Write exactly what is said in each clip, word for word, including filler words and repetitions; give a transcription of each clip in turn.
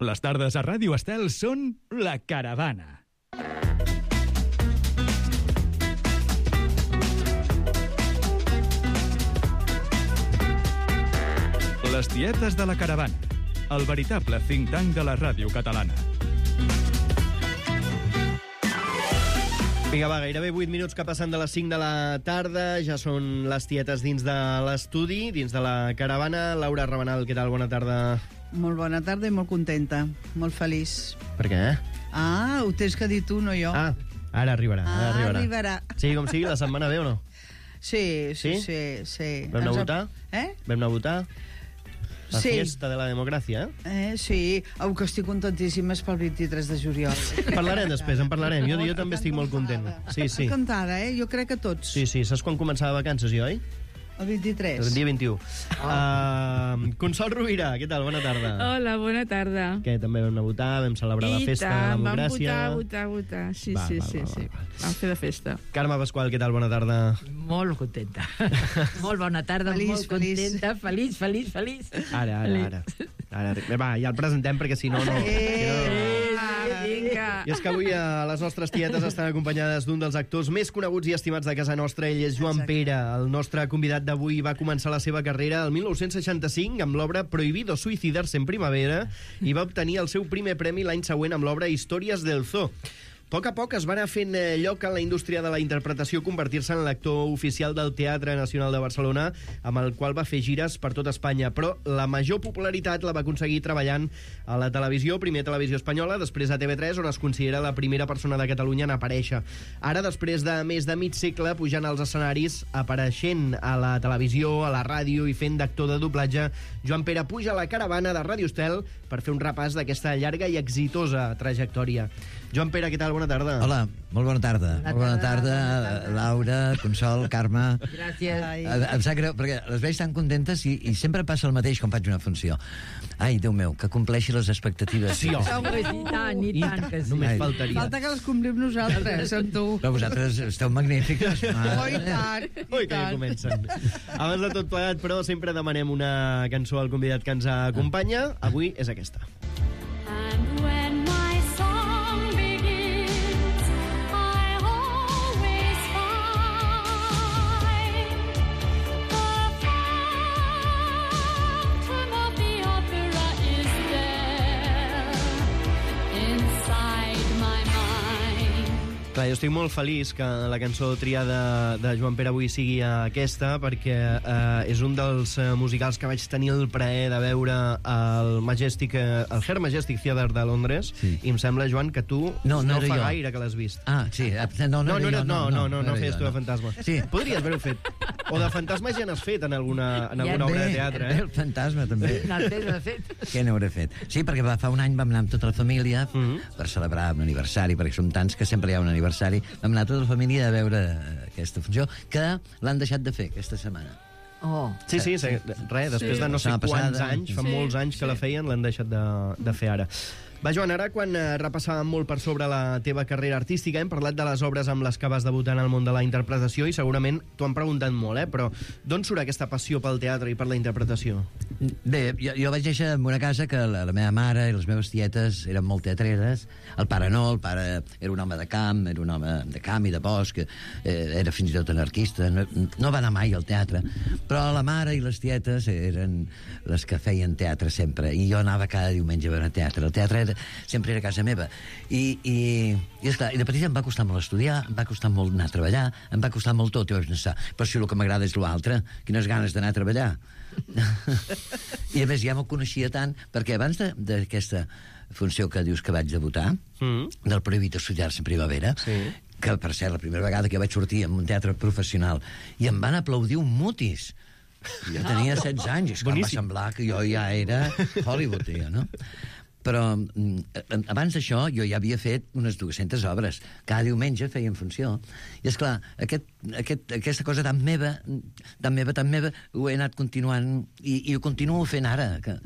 Les tardes a Ràdio Estel són La Caravana. Les tietes de La Caravana, el veritable think tank de la ràdio catalana. Vinga, va, gairebé vuit minuts que passen de les cinc de la tarda. Ja són les tietes dins de l'estudi, dins de La Caravana. Laura Rabanal, què tal? Bona tarda. Molt bona tarda i molt contenta, molt feliç. Per què? Ah, ho tens que dir tu, no jo. Ah, ara arribarà. Ara ah, arribarà. arribarà. Sí, com sigui, la setmana ve o no? Sí, sí, Sí? sí. sí. Vam anar a Ens votar? Eh? Vam anar a votar? La Sí. fiesta de la democràcia, eh? Eh, sí, oh, que estic contentíssima és pel vint-i-tres de juliol. Parlarem després, en parlarem. Jo, jo també estic molt content. Sí, sí. Encantada, eh? Jo crec que tots. Sí, sí. Saps quan començava vacances, jo, oi? El vint-i-tres. El dia vint-i-u. Uh, Consol Rovira, què tal? Bona tarda. Hola, bona tarda. Que també vam anar a votar, vam celebrar la I festa tant, de la vam democràcia. votar, votar, votar. Sí, Va, sí, va, sí, va, sí. va, va. Vam fer de festa. Carme Pasqual, què tal? Bona tarda. Molt contenta. Molt bona tarda, Feliç, molt feliç. contenta, feliç, feliç, feliç. Ara, ara, ara. ara. Va, ja el presentem perquè si no... no... Eh, Ah, vinga. I és que avui a les nostres tietes estan acompanyades d'un dels actors més coneguts i estimats de casa nostra. Ell és Joan Exacte. Pera. El nostre convidat d'avui va començar la seva carrera el mil nou-cents seixanta-cinc amb l'obra Prohibido suicidarse en primavera i va obtenir el seu primer premi l'any següent amb l'obra Històries del Zoo. A poc a poc es va anar fent lloc en la indústria de la interpretació, convertir-se en l'actor oficial del Teatre Nacional de Barcelona, amb el qual va fer gires per tot Espanya. Però la major popularitat la va aconseguir treballant a la televisió, primer a Televisió Espanyola, després a T V tres, on es considera la primera persona de Catalunya en aparèixer. Ara, després de més de mig segle, pujant als escenaris, apareixent a la televisió, a la ràdio i fent d'actor de doblatge, Joan Pera puja a La Caravana de Ràdio Estel per fer un repàs d'aquesta llarga i exitosa trajectòria. Joan Pera, què tal? Bona tarda. Hola, molt bona tarda. Bona molt bona tarda, tarda, bona tarda. Laura, Consol, Carme. Gràcies. Ai. Em em sap greu, perquè les veig tan contentes i, i sempre passa el mateix quan faig una funció. Ai, Déu meu, que compleixi les expectatives. Sí, home. Home, i tant, i tant que sí. Només Ai. faltaria. Falta que les complim nosaltres, amb tu. Però vosaltres esteu magnífiques. Oh, i tant, i Ui, que ja tant. comencen. Abans de tot plegat, però, sempre demanem una cançó al convidat que ens acompanya. Avui és aquesta. And when my song begins, I always find the phantom of the opera is there inside my mind. Clar, jo estic molt feliç que la cançó triada de Joan Pera avui sigui aquesta, perquè eh, és un dels eh, musicals que vaig tenir el plaer de veure al Majestic, eh, el Her Majestic Theatre de Londres, Sí. i em sembla, Joan, que tu No, no no era fa jo. gaire que l'has vist. Ah, sí. No, No, no, no, era era, jo, no, no, no, no, era feies jo, tu de fantasma. Sí. Podries haver-ho fet. O de fantasma ja n'has fet en alguna, en alguna obra de teatre, eh? El fantasma, també. No, de fet. Què n'hauré fet? Sí, perquè va, fa un any vam anar amb tota la família Mhm. per celebrar un aniversari, perquè som tants que sempre hi ha un aniversari. Vam anar tota la família a veure eh, aquesta funció, que l'han deixat de fer aquesta setmana. Oh. Sí, sí, sí, res, després Sí. de no sé La setmana quants passada. anys, fa Sí, molts anys que la feien, l'han deixat de, de fer ara. Va, Joan, ara quan eh, repassàvem molt per sobre la teva carrera artística, hem parlat de les obres amb les que vas debutar en el món de la interpretació i segurament t'ho han preguntat molt, eh? Però d'on surt aquesta passió pel teatre i per la interpretació? Bé, jo, jo vaig néixer en una casa que la, la meva mare i les meves tietes eren molt teatreres. El pare no, el pare era un home de camp, era un home de camp i de bosc, eh, era fins i tot anarquista, no, no va anar mai al teatre. Però la mare i les tietes eren les que feien teatre sempre, i jo anava cada diumenge a veure teatre. El teatre era, sempre era a casa meva. I, i, i, esclar, i de petita em va costar molt estudiar, em va costar molt anar a treballar, em va costar molt tot, i vaig pensar, però si el que m'agrada és l'altre, quines ganes d'anar a treballar. I a més ja m'ho coneixia tant, perquè abans de- d'aquesta funció que dius que vaig debutar, Mm. del Prohibido suicidarse en primavera, Sí. que per ser la primera vegada que vaig sortir en un teatre professional, i em van aplaudir un mutis. Jo tenia setze anys, i és que em va Boníssim. semblar que jo ja era Hollywood, ja, no? Però mm, abans d'això jo ja havia fet unes dues-centes obres. Cada diumenge feien funció. I, és clar, aquest, aquest, aquesta cosa tan meva, tan meva, tan meva, ho he anat continuant i, i ho continuo fent ara, que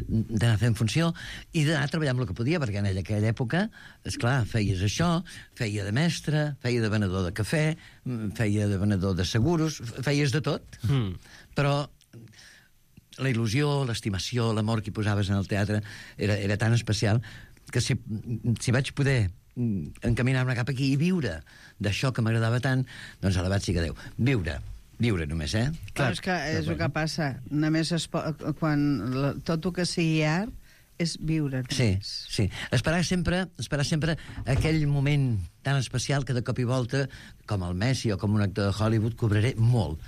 d'anar fent funció i d'anar treballant amb el que podia, perquè en aquella època, és clar, feies això, feia de mestre, feia de venedor de cafè, feia de venedor de seguros, feies de tot. Mm. Però la il·lusió, l'estimació, l'amor que hi posaves en el teatre era, era tan especial que si, si vaig poder encaminar-me cap aquí i viure d'això que m'agradava tant, doncs elevat sí que Déu. Viure, viure només, eh? Clar, és que és el que passa. Només es po... quan la... tot el que sigui art és viure. Sí, sí. Esperar sempre, esperar sempre aquell moment tan especial que de cop i volta, com el Messi o com un actor de Hollywood, cobraré molt.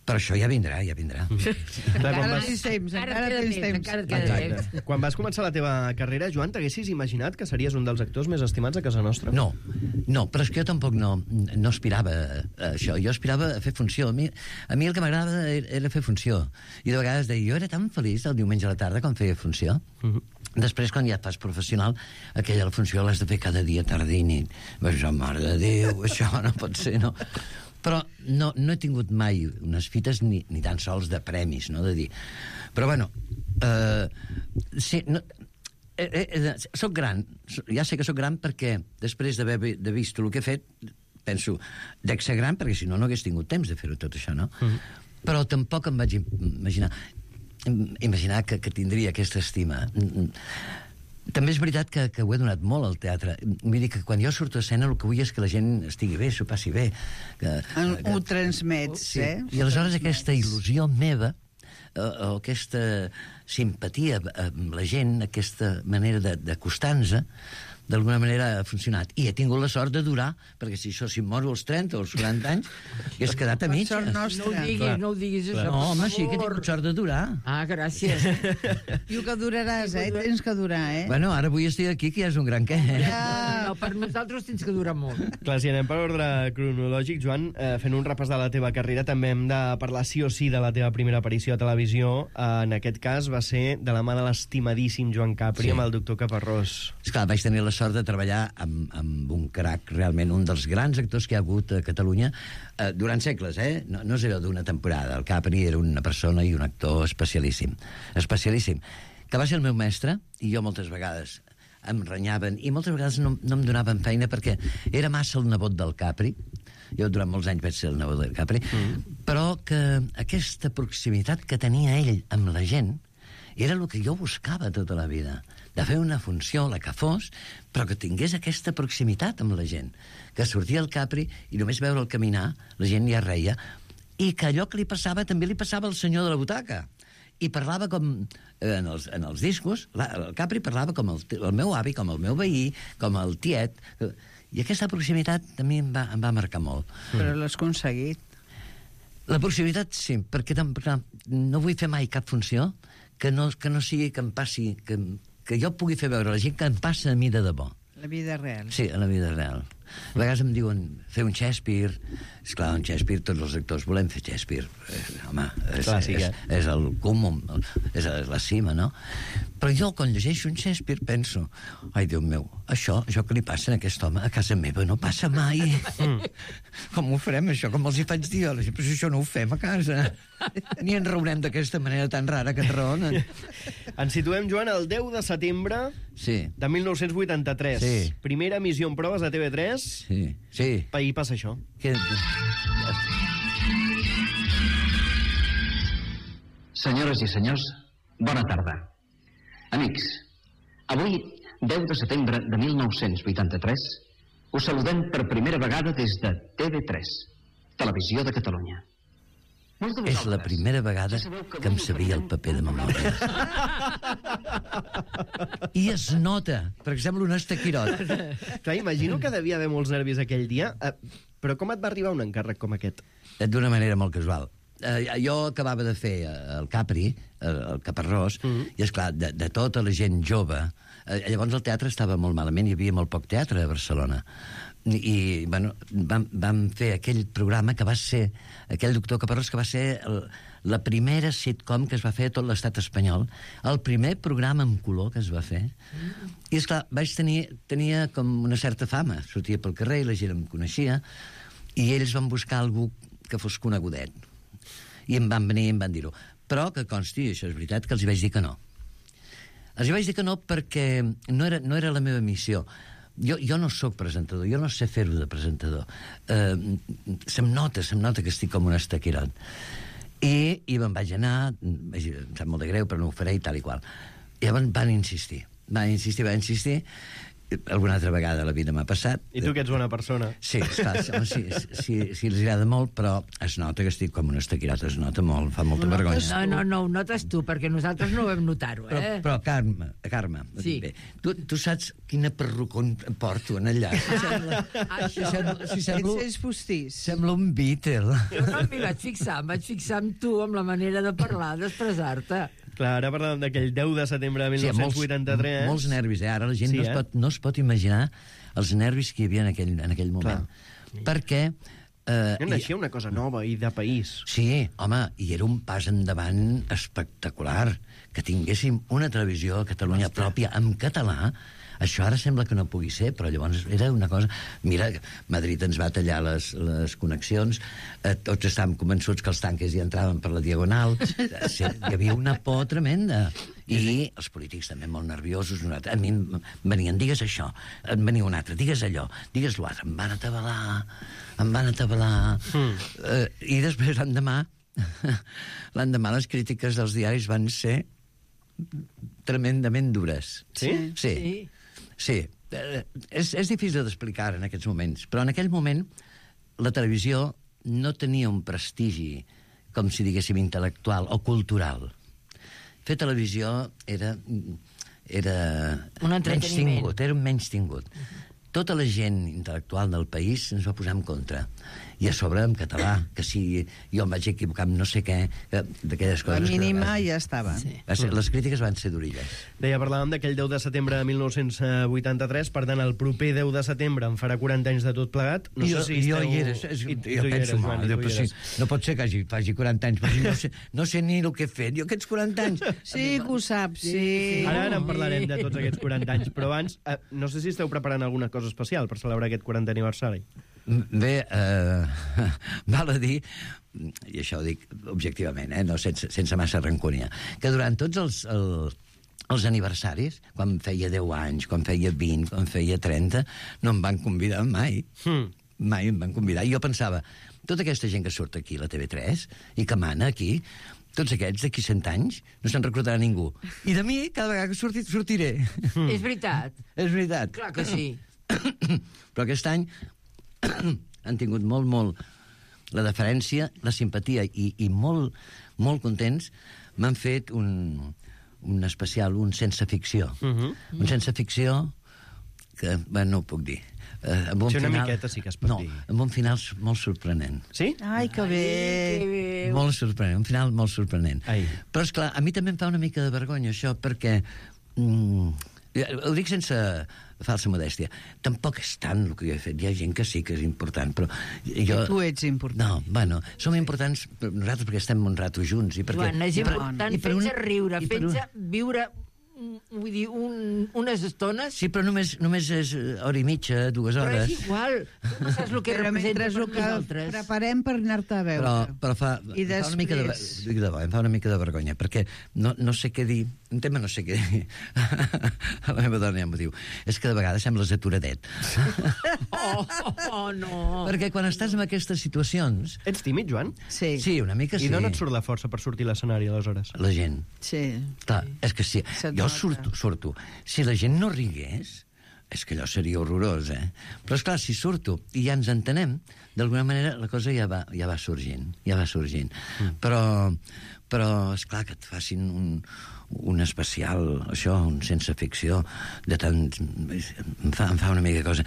Però això ja vindrà, ja vindrà. Clar, quan Encara vas... tens temps, Encara encara queda tens temps, temps. encara queda temps. Exacte. Quan vas començar la teva carrera, Joan, t'haguessis imaginat que series un dels actors més estimats a casa nostra? No, no, però és que jo tampoc no, no aspirava a això. Jo aspirava a fer funció. A mi, a mi el que m'agradava era, era fer funció. I de vegades deia, jo era tan feliç el diumenge a la tarda quan feia funció. Uh -huh. Després, quan ja et fas professional, aquella funció l'has de fer cada dia, tarda i nit. Vaig dir, mare de Déu, això no pot ser, no? Però no, no he tingut mai unes fites ni, ni tan sols de premis, no?, de dir... Però, bueno, eh, sí, no, eh, eh, soc gran, ja sé que soc gran perquè després d'haver de vist el que he fet, penso, dec ser gran perquè si no, no hagués tingut temps de fer-ho tot això, no? Mm. Però tampoc em vaig imaginar imaginar que, que tindria aquesta estima. També és veritat que, que ho he donat molt al teatre. Vull dir que quan jo surto a escena el que vull és que la gent estigui bé, s'ho passi bé. Que, En, que, ho transmets, sí. eh? I aleshores aquesta il·lusió meva, o, o aquesta simpatia amb la gent, aquesta manera d'acostar-nos, d'alguna manera ha funcionat. I he tingut la sort de durar, perquè si això, si em moro als trenta o als quaranta anys, hagués quedat a mitja. Sort No ho nostra. diguis, Clar. no ho diguis, això. No, home, per sí que he favor. tingut sort de durar. Ah, gràcies. Diu que duraràs, eh? Tens que durar, eh? Bueno, ara avui estic aquí, que ja és un gran què. Eh? Ja. No, per nosaltres tens que durar molt. Clar, si anem per ordre cronològic, Joan, eh, fent un repàs de la teva carrera, també hem de parlar sí o sí de la teva primera aparició a televisió. Eh, en aquest cas va ser de la mà de l'estimadíssim Joan Capri, Sí. amb el doctor Caparrós. Esclar, vaig tenir la sort de treballar amb, amb un crac, realment, un dels grans actors que hi ha hagut a Catalunya eh, durant segles, eh? No, no és allò d'una temporada. El Capri era una persona i un actor especialíssim. Especialíssim. Que va ser el meu mestre, i jo moltes vegades em renyaven, i moltes vegades no, no em donaven feina perquè era massa el nebot del Capri. Jo durant molts anys vaig ser el nebot del Capri. Mm. Però que aquesta proximitat que tenia ell amb la gent era el que jo buscava tota la vida, de fer una funció, la que fos, però que tingués aquesta proximitat amb la gent, que sortia el Capri i només veure'l caminar, la gent ja reia, i que allò que li passava també li passava al senyor de la butaca. I parlava com, eh, en, els, en els discos, la, el Capri parlava com el, el meu avi, com el meu veí, com el tiet, i aquesta proximitat també em va, em va marcar molt. Però l'has aconseguit. La proximitat, sí, perquè, perquè no vull fer mai cap funció que no, que no sigui que em passi, que, que jo pugui fer veure a la gent que em passa a mi de debò. La vida real. Sí, a la vida real. A vegades em diuen fer un Shakespeare. Esclar, un Shakespeare, tots els actors volem fer Shakespeare. Eh, home, és, Clàssic, és, eh? és el cúmul, és la cima, no? Però jo, quan llegeixo un Shakespeare, penso, ai, Déu meu, això, això que li passa a aquest home a casa meva no passa mai. Mm. Com ho farem, això? Com els hi faig dir? Però si això no ho fem a casa. Ni ens reurem d'aquesta manera tan rara que ens raonen. Ens situem, Joan, el deu de setembre Sí, de mil nou-cents vuitanta-tres. Sí. Primera emissió en proves a T V tres. sí, sí. Ahir passa això. Que... Senyores i senyors, bona tarda. Amics, avui, deu de setembre de mil nou-cents vuitanta-tres, us saludem per primera vegada des de T V tres, Televisió de Catalunya. Molts de És la vosaltres primera vegada ja sabeu que em molt sabia el paper de memòria. I es nota, perquè sembla un estaquirot. Clar, imagino que devia haver molts nervis aquell dia, eh, però com et va arribar un encàrrec com aquest? D'una manera molt casual. Eh, jo acabava de fer eh, el Capri, eh, el Caparrós, mm -hmm. i, esclar, de, de tota la gent jove... Eh, llavors el teatre estava molt malament, hi havia molt poc teatre a Barcelona. I, i bueno, vam, vam fer aquell programa que va ser, aquell doctor Caparrós, que va ser el, la primera sitcom que es va fer a tot l'estat espanyol, el primer programa en color que es va fer. Mm. I, esclar, vaig tenir, tenia com una certa fama. Sortia pel carrer i la gent em coneixia, i ells van buscar algú que fos conegudet. I em van venir i em van dir-ho. Però que consti, això és veritat, que els hi vaig dir que no. Els hi vaig dir que no perquè no era, no era la meva missió. Jo, jo no sóc presentador, jo no sé fer-ho de presentador. Eh, se'm nota, se'm nota que estic com un estaquirot. I, i me'n vaig anar, em sap molt de greu, però no ho faré i tal i qual. I llavors van insistir, van insistir, van insistir, alguna altra vegada a la vida m'ha passat. I tu que ets bona persona. Sí, esclar, sí, sí, sí, els agrada molt, però es nota que estic com un estaquirat, es nota molt, fa molta vergonya. No, no, no, ho notes tu, perquè nosaltres no ho vam notar-ho, Però, eh? però Carme, Carme, Sí. bé, tu, tu saps quina perruca em porto en allà? Si sembla, si sembla, si sembla, Ets postís. sembla un Beatle. Jo no m'hi vaig fixar, em vaig fixar en tu, amb la manera de parlar, d'expressar-te. Clar, ara parlàvem d'aquell deu de setembre de Sí, dinou vuitanta-tres. molts, molts nervis, eh? Ara la gent Sí, no, es eh? pot, no es pot imaginar els nervis que hi havia en aquell, en aquell moment. Clar. Perquè... Eh, No naixia una cosa nova i de país. Sí, home, i era un pas endavant espectacular. Que tinguéssim una televisió a Catalunya pròpia en català, això ara sembla que no pugui ser, però llavors era una cosa... Mira, Madrid ens va tallar les, les connexions, eh, tots estàvem convençuts que els tanques hi entraven per la diagonal, eh, sí, hi havia una por tremenda. I els polítics també molt nerviosos. A mi em venien, digues això, em venia un altre, digues allò, digues l'altre. Em van atabalar, em van atabalar. Mm. Eh, I després l'endemà, l'endemà les crítiques dels diaris van ser tremendament dures. Sí? Sí. Sí. Sí. Eh, és, és difícil d'explicar en aquests moments, però en aquell moment la televisió no tenia un prestigi, com si diguéssim, intel·lectual o cultural. Fer televisió era, era Un entreteniment. menystingut, era un menystingut. Tota la gent intel·lectual del país ens va posar en contra. I a sobre en català, que si jo em vaig equivocar amb no sé què, que- d'aquelles La coses... que mínima van- ja estava. Sí. Va ser, les crítiques van ser durilles. Deia, parlàvem d'aquell deu de setembre de dinou vuitanta-tres, per tant, el proper deu de setembre en farà quaranta anys de tot plegat. No jo, sé si jo esteu... hi era, és, I tu jo hi penso, eres, mal, Joan, i jo, tu hi però sí, eres. no pot ser que hagi, faci quaranta anys, però si no sé, no sé ni el que he fet. Jo aquests quaranta anys... Sí que ho saps, sí. Ara, ara en parlarem de tots aquests quaranta anys, però abans, eh, no sé si esteu preparant alguna cosa especial per celebrar aquest quarantè aniversari. Bé, eh, val a dir, i això ho dic objectivament, eh, no sense, sense massa rancúnia, que durant tots els, el, els aniversaris, quan feia deu anys, quan feia vint, quan feia trenta, no em van convidar mai. Hmm. Mai em van convidar. I jo pensava, tota aquesta gent que surt aquí a la T V tres i que mana aquí, tots aquests d'aquí cent anys no se'n recordarà ningú. I de mi, cada vegada que surti, sortiré. És veritat. És veritat. Clar que sí. Però aquest any han tingut molt, molt la deferència, la simpatia i, i molt, molt contents. M'han fet un, un especial, un sense ficció. Uh -huh. Un sense ficció que, bé, no ho puc dir. Eh, amb un Sí, una final, miqueta sí que es pot no, dir. amb un final molt sorprenent. Sí? Ai, que bé. Que bé. Molt sorprenent, un final molt sorprenent. Ai. Però, esclar, a mi també em fa una mica de vergonya això, perquè... Mm, ho dic sense falsa modèstia. Tampoc és tant el que jo he fet. Hi ha gent que sí que és important, però jo... Tu ets important. No, bueno, som importants per nosaltres perquè estem un rato junts. I perquè, Joan, és i per- important i per fer-nos una- riure, i per una- fer-nos viure mm, vull dir, un, unes estones... Sí, però només, només és eh, hora i mitja, dues Però hores. és igual. Tu no saps el que Però representa mentre per ho que nosaltres. preparem per anar-te a veure. Però, però fa, I em fa una mica de, després- dic de bo, em fa una mica de vergonya, perquè no, no sé què dir, un tema no sé què dir. La meva dona ja m'ho diu. És que de vegades sembles aturadet. Oh, oh, no. Perquè quan estàs en aquestes situacions... Ets tímid, Joan? Sí, Sí, una mica sí. I d'on et surt la força per sortir a l'escenari, aleshores? La gent. sí. Clar, és que si Se't jo nota. surto, surto, si la gent no rigués, és que allò seria horrorós, eh? Però, esclar, si surto i ja ens entenem, d'alguna manera la cosa ja va, ja va sorgint, ja va sorgint. Mm. Però, però, esclar, que et facin un, un especial, això, un sense ficció, de tant... Em fa, em fa una mica de cosa.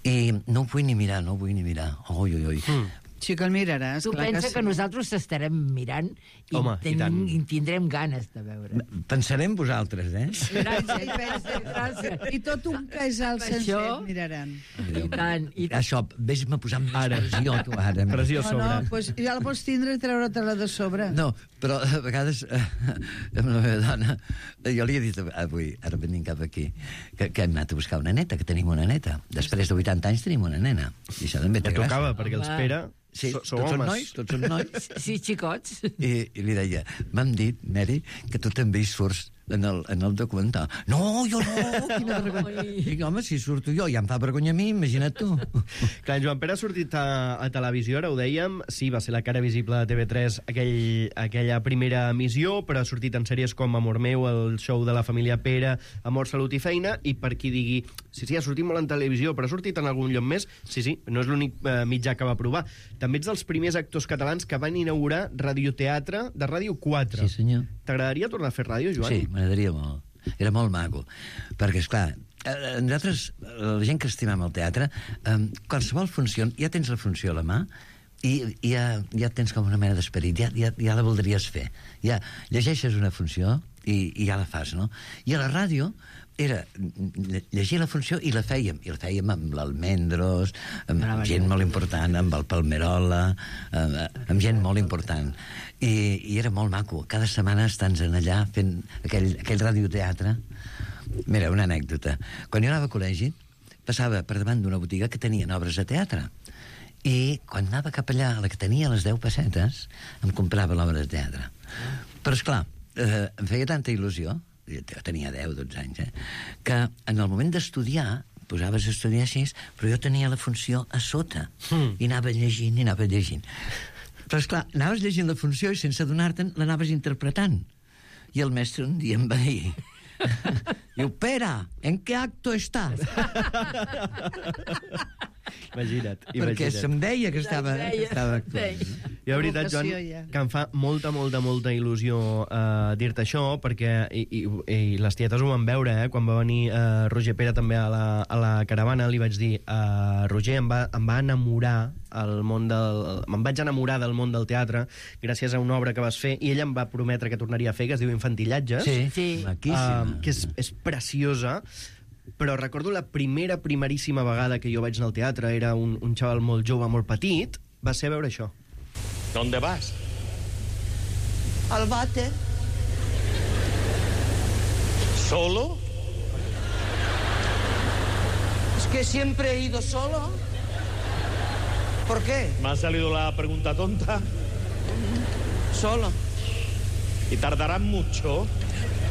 I no ho vull ni mirar, no ho vull ni mirar. Ui, ui, ui. Mm. Sí que el miraràs. Tu clar pensa sí. que nosaltres t'estarem mirant i, Home, i tant. tenim, i tindrem ganes de veure. Pensaré en vosaltres, eh? Gràcies, gràcies, gràcies. I tot un casal Per sencer això- miraran. I tant, i tant. Això, vés-me posant més Ara. pressió, tu, ara. Pressió a No, sobre. no, doncs ja la pots tindre i treure-te-la de sobre. No, però a vegades eh, amb la meva dona jo li he dit avui, ara venim cap aquí que, que hem anat a buscar una neta, que tenim una neta. Després de vuitanta anys tenim una nena i això també té Ja gràcia. tocava, perquè els Home. Pere Sí, so, sou tots són homes. nois, tots són nois. Sí, xicots. I, i li deia, m'han dit, Mary, que tu també hi surts en el, en el documental. No, jo no, quina vergonya. Dic, home, si surto jo, ja em fa vergonya a mi, imagina't tu. Clar, en Joan Pere ha sortit a, a televisió, ara ho dèiem, sí, va ser la cara visible de T V tres aquell, aquella primera emissió, però ha sortit en sèries com Amor meu, el show de la família Pere, Amor, Salut i Feina, i per qui digui, sí, sí, ha sortit molt en televisió, però ha sortit en algun lloc més, sí, sí, no és l'únic eh, mitjà que va provar. També ets dels primers actors catalans que van inaugurar radioteatre de Ràdio quatre. Sí, senyor. T'agradaria tornar a fer ràdio, Joan? Sí, m'agradaria molt. Era molt maco. Perquè, esclar, eh, nosaltres, la gent que estimam el teatre, eh, qualsevol funció, ja tens la funció a la mà, i, i ja, ja tens com una mena d'esperit, ja, ja, ja la voldries fer. Ja llegeixes una funció i, i ja la fas, no? I a la ràdio era llegir la funció i la fèiem. I la fèiem amb l'Almendros, amb Brava, gent molt important, amb el Palmerola, amb, amb gent molt important. I, I era molt maco. Cada setmana estàs allà fent aquell, aquell radioteatre. Mira, una anècdota. Quan jo anava a col·legi, passava per davant d'una botiga que tenien obres de teatre. I quan anava cap allà, la que tenia les deu pessetes, em comprava l'obra de teatre. Però, esclar, eh, em feia tanta il·lusió, jo tenia deu, dotze anys, eh, que en el moment d'estudiar, posaves a estudiar així, però jo tenia la funció a sota, mm. i anava llegint, i anava llegint. Però, esclar, anaves llegint la funció i sense adonar-te'n l'anaves interpretant. I el mestre un dia em va dir... Diu, Pere, ¿en qué acto estás? Imagina't, Perquè imagina't. se'm deia que estava, que estava actuant. I la veritat, Joan, Vocació, ja. que em fa molta, molta, molta il·lusió uh, dir-te això, perquè i, i, i les tietes ho van veure, eh? Quan va venir uh, Roger Pere també a la, a la caravana, li vaig dir, uh, Roger, em va, em va enamorar el món del... me'n vaig enamorar del món del teatre gràcies a una obra que vas fer, i ella em va prometre que tornaria a fer, que es diu Infantillatges. Sí, Sí. maquíssima. Uh, que és, és preciosa, però recordo la primera, primeríssima vegada que jo vaig anar al teatre, era un, un xaval molt jove, molt petit, va ser a veure això. ¿Dónde vas? Al bate. ¿Solo? Es que siempre he ido solo. ¿Por qué? ¿Me ha salido la pregunta tonta? Solo. ¿Y tardarán mucho?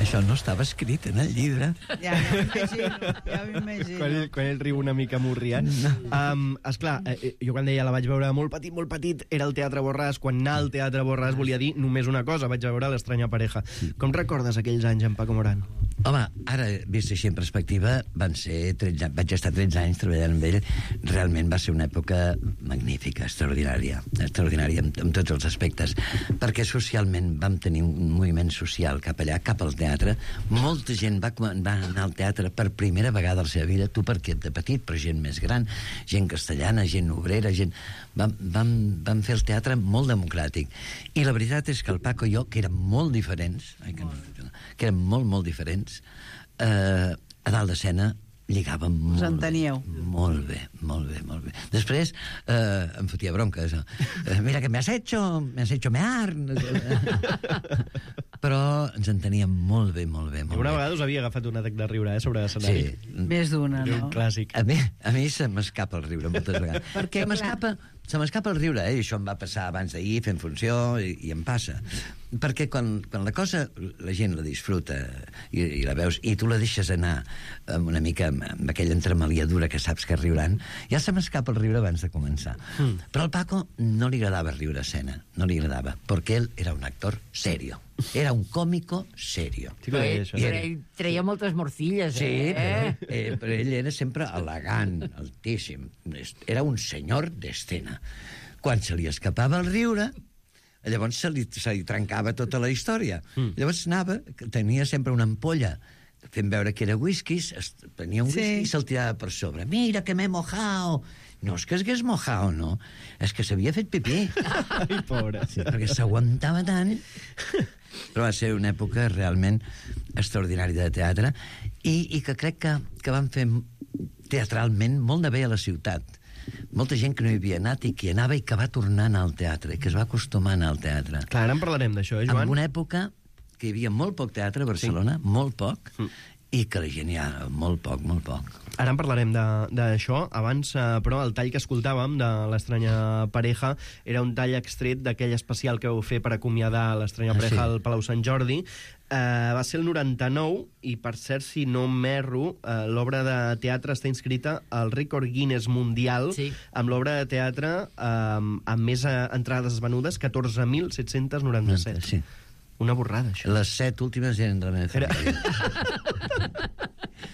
Això no estava escrit en el llibre. Ja m'imagino, ja m'imagino. Quan ell, quan ell riu una mica morriant. Um, esclar, eh, jo quan deia la vaig veure molt petit, molt petit, era el Teatre Borràs. Quan anar al Teatre Borràs volia dir només una cosa, vaig veure l'Estranya Pareja. Com recordes aquells anys, en Paco Morán? Home, ara, vist així en perspectiva, van ser tretze anys, vaig estar tretze anys treballant amb ell. Realment va ser una època magnífica, extraordinària, extraordinària en, en tots els aspectes, perquè socialment vam tenir un moviment social cap allà, cap al teatre. Molta gent va, va anar al teatre per primera vegada a la seva vida, tu perquè de petit, però gent més gran, gent castellana, gent obrera, gent... Vam, vam, vam fer el teatre molt democràtic. I la veritat és que el Paco i jo, que érem molt diferents, ai, que, no, que érem molt, molt diferents, eh, a dalt d'escena lligàvem molt, enteníeu. molt bé, molt bé, molt bé. Després eh, em fotia bronques. Eh, mira que me has hecho, me has hecho mear. Però ens enteníem molt bé, molt bé, molt Una bé. vegada us havia agafat un atac de riure, eh, sobre l'escenari. Sí. Més d'una, Era no? un clàssic. A mi, a mi se m'escapa el riure moltes vegades. Perquè, se m'escapa, se m'escapa el riure, eh? I això em va passar abans d'ahir fent funció i, i em passa. Perquè quan, quan la cosa la gent la disfruta i, i la veus i tu la deixes anar amb una mica amb, amb aquella entremaliadura que saps que riuran, ja se m'escapa el riure abans de començar. Mm. Però al Paco no li agradava riure a escena, no li agradava, perquè ell era un actor serio. Era un còmico serio. Sí que ho deia, això. Però ell treia moltes morcilles, Sí, eh? però, eh, però ell era sempre elegant, altíssim. Era un senyor d'escena. Quan se li escapava el riure, llavors se li, se li trencava tota la història. Mm. Llavors anava, tenia sempre una ampolla fent veure que era whisky, es, tenia un Sí. whisky i se'l tirava per sobre. Mira que m'he mojado. No és que es hagués mojado, no. És que s'havia fet pipí. Ai, pobre. Sí, perquè s'aguantava tant. Però va ser una època realment extraordinària de teatre i, i que crec que, que van fer teatralment molt de bé a la ciutat. Molta gent que no hi havia anat i que hi anava i que va tornar a anar al teatre, que es va acostumar a anar al teatre. Clar, ara en parlarem d'això, eh, Joan? En una època que hi havia molt poc teatre a Barcelona, sí. molt poc, mm. i que la gent hi ha molt poc, molt poc. Ara en parlarem de- d'això. Abans, eh, però, el tall que escoltàvem de l'Estranya Pareja era un tall extret d'aquell especial que vau fer per acomiadar l'Estranya Ah, Pareja sí. al Palau Sant Jordi. Eh, va ser el noranta-nou i, per cert, si no m'erro, eh, l'obra de teatre està inscrita al rècord Guinness mundial Sí. amb l'obra de teatre eh, amb més eh, entrades venudes, catorze mil set-cents noranta-set. Sí. Una borrada, això. Les set últimes eren de la meva Era- família.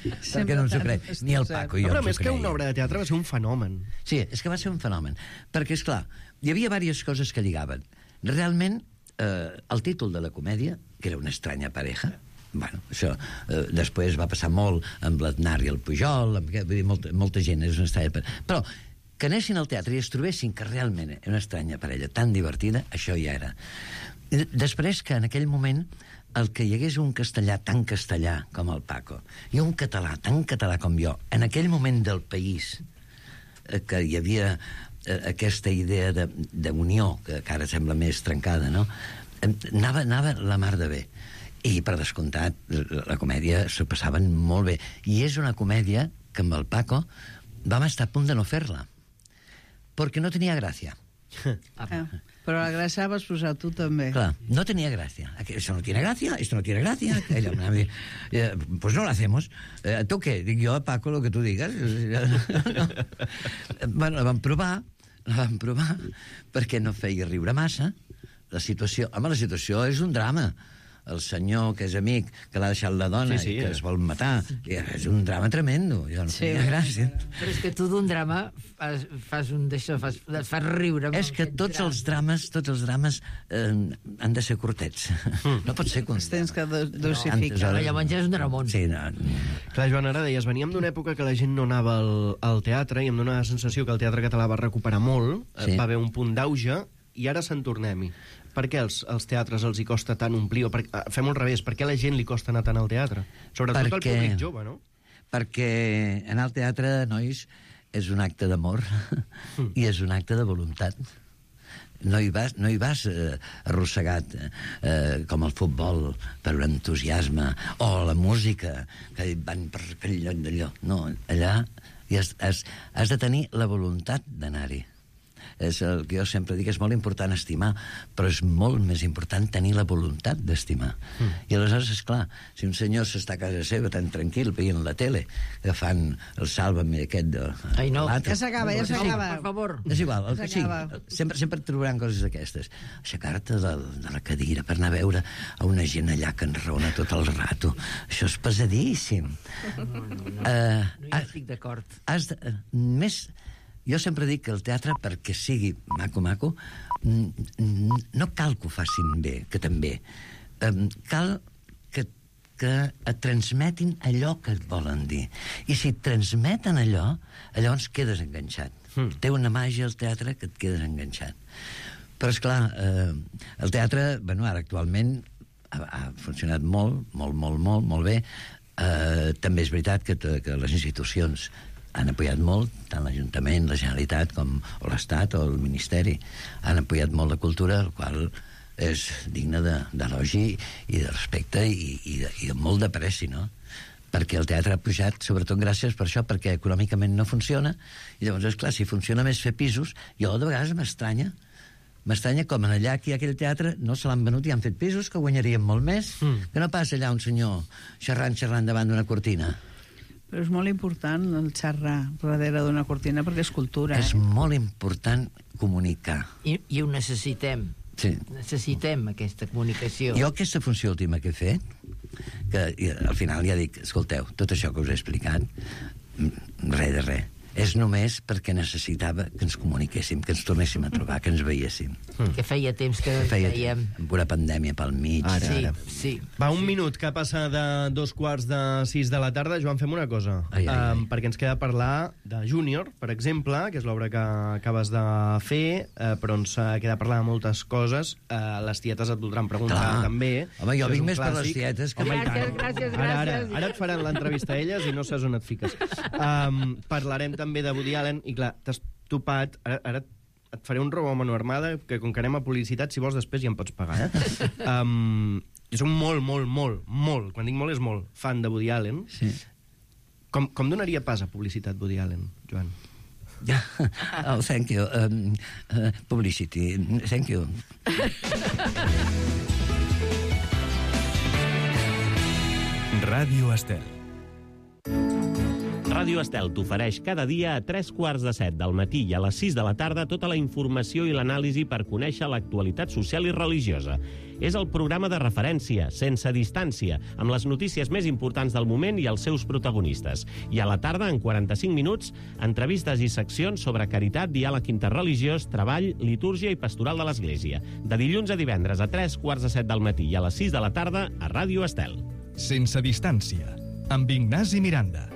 Perquè Sempre no ens ho tan crec. Ni el Paco i jo No, però ens ho més que creiem. una obra de teatre va ser un fenomen. Sí, és que va ser un fenomen. Perquè, és clar, hi havia diverses coses que lligaven. Realment, eh, el títol de la comèdia, que era Una estranya pareja, bueno, això eh, després va passar molt amb l'Aznar i el Pujol, amb, vull dir, molta, molta gent, és una estranya pareja. Però que anessin al teatre i es trobessin que realment era una estranya parella tan divertida, això ja era. I després que en aquell moment el que hi hagués un castellà tan castellà com el Paco i un català tan català com jo, en aquell moment del país eh, que hi havia eh, aquesta idea de- d'unió, que, que ara sembla més trencada, no? Em- Anava, anava la mar de bé. I, per descomptat, la, la comèdia s'ho passaven molt bé. I és una comèdia que amb el Paco vam estar a punt de no fer-la, perquè no tenia gràcia. Eh, Però la gràcia la vas posar tu també. Claro, no tenía gracia. Aqu- Eso no tiene gracia, esto no tiene gracia. Ella, una vez, eh, pues no lo hacemos. Eh, ¿Tú qué? Dic jo, Paco, lo que tu digues. No. Bueno, la vam provar, la vam provar, perquè no feia riure massa. La situació... Home, la situació és un drama. El senyor, que és amic, que l'ha deixat la dona Sí, sí, i que eh. es vol matar. I és un drama tremendo. Jo no Sí. tenia gràcia. Però és que tu d'un drama fas, fas un d'això, fas, et fas riure. amb És que aquest tots drama. els drames, tots els drames eh, han de ser curtets. No pot ser Els tens que do- Antes, dosificar. ara- No, llavors ja és un dramón. Sí, no, Clar, Joan, ara deies, veníem d'una època que la gent no anava al, al teatre i em dóna la sensació que el teatre català va recuperar molt, Sí. sí. va haver un punt d'auge i ara se'n tornem-hi. Per què als, als teatres els hi costa tant omplir? O per, eh, fem-ho al revés, per què a la gent li costa anar tant al teatre? Sobretot al Perquè- públic jove, no? perquè anar al teatre, nois, és un acte d'amor i és un acte de voluntat. No hi vas, no hi vas eh, arrossegat eh, com el futbol per un entusiasme o la música que van per aquell lloc d'allò. No, allà hi has, has, has de tenir la voluntat d'anar-hi. És el que jo sempre dic, és molt important estimar, però és molt més important tenir la voluntat d'estimar. Mm. I aleshores, esclar, si un senyor s'està a casa seva tan tranquil veient la tele, que fan el Sálvame aquest de... Ai, no. l'altre. Ja s'acaba, ja s'acaba. Per favor. És igual, el que sigui. S'acaba. Sempre, sempre et trobaran coses d'aquestes. Aixecar-te de, de la cadira per anar a veure a una gent allà que enraona tot el rato. Això és pesadíssim. No, no, no. Uh, no hi estic d'acord. Has de, uh, més... Jo sempre dic que el teatre, perquè sigui maco-maco, mm, mm, no cal que ho facin bé, que també. Um, cal que, que et transmetin allò que et volen dir. I si et transmeten allò, llavors quedes enganxat. Mm. Té una màgia al teatre que et quedes enganxat. Però, esclar, eh, el teatre, bueno, ara actualment ha, ha funcionat molt, molt, molt, molt, molt bé. Eh, també és veritat que, que les institucions han apoyat molt, tant l'Ajuntament, la Generalitat, com o l'Estat o el Ministeri, han apoyat molt la cultura, el qual és digne d'elogi i de respecte i, i, de, i de molt d'apreci, no? Perquè el teatre ha pujat, sobretot gràcies per això, perquè econòmicament no funciona, i llavors, esclar, si funciona més fer pisos, jo de vegades m'estranya, m'estranya com en allà que hi ha aquell teatre no se l'han venut i han fet pisos que guanyarien molt més, mm. que no passa allà un senyor xerrant, xerrant davant d'una cortina. Però és molt important el xerrar darrere d'una cortina perquè és cultura. És Eh? molt important comunicar. I, i ho necessitem. Sí. Necessitem aquesta comunicació. Jo aquesta funció última que he fet, que i, al final ja dic, escolteu, tot això que us he explicat, mm, res de res. És només perquè necessitava que ens comuniquéssim, que ens tornéssim a trobar, que ens veiéssim. Que feia temps que Feia fèiem... amb una pandèmia pel mig. Ara, Sí, ara. sí. Va, un minut que passa de dos quarts de sis de la tarda. Joan, fem una cosa. Ai, ai, ai. Um, perquè ens queda parlar de Júnior, per exemple, que és l'obra que acabes de fer, uh, però ens uh, queda parlar de moltes coses. Uh, les tietes et voldran preguntar Clar. també. Home, jo Això és vinc un més per les clàssic. tietes que- Home, i tant. Gràcies, gràcies, Ara, ara, gràcies. ara et faran l'entrevista a elles i no saps on et fiques. Um, parlarem també de Woody Allen i, clar, t'has topat... Ara, ara et faré un robo a mano armada, que com que anem a publicitat, si vols després ja em pots pagar, eh? Um, jo soc molt, molt, molt, molt, quan dic molt és molt, fan de Woody Allen. Sí. Com, com donaria pas a publicitat Woody Allen, Joan? Oh, thank you. Um, uh, publicity. Thank you. Ràdio Estel. Ràdio Estel t'ofereix cada dia a tres quarts de set del matí i a les sis de la tarda tota la informació i l'anàlisi per conèixer l'actualitat social i religiosa. És el programa de referència, sense distància, amb les notícies més importants del moment i els seus protagonistes. I a la tarda, en quaranta-cinc minuts, entrevistes i seccions sobre caritat, diàleg interreligiós, treball, litúrgia i pastoral de l'Església. De dilluns a divendres a tres quarts de set del matí i a les sis de la tarda a Ràdio Estel. Sense distància, amb Ignasi Miranda.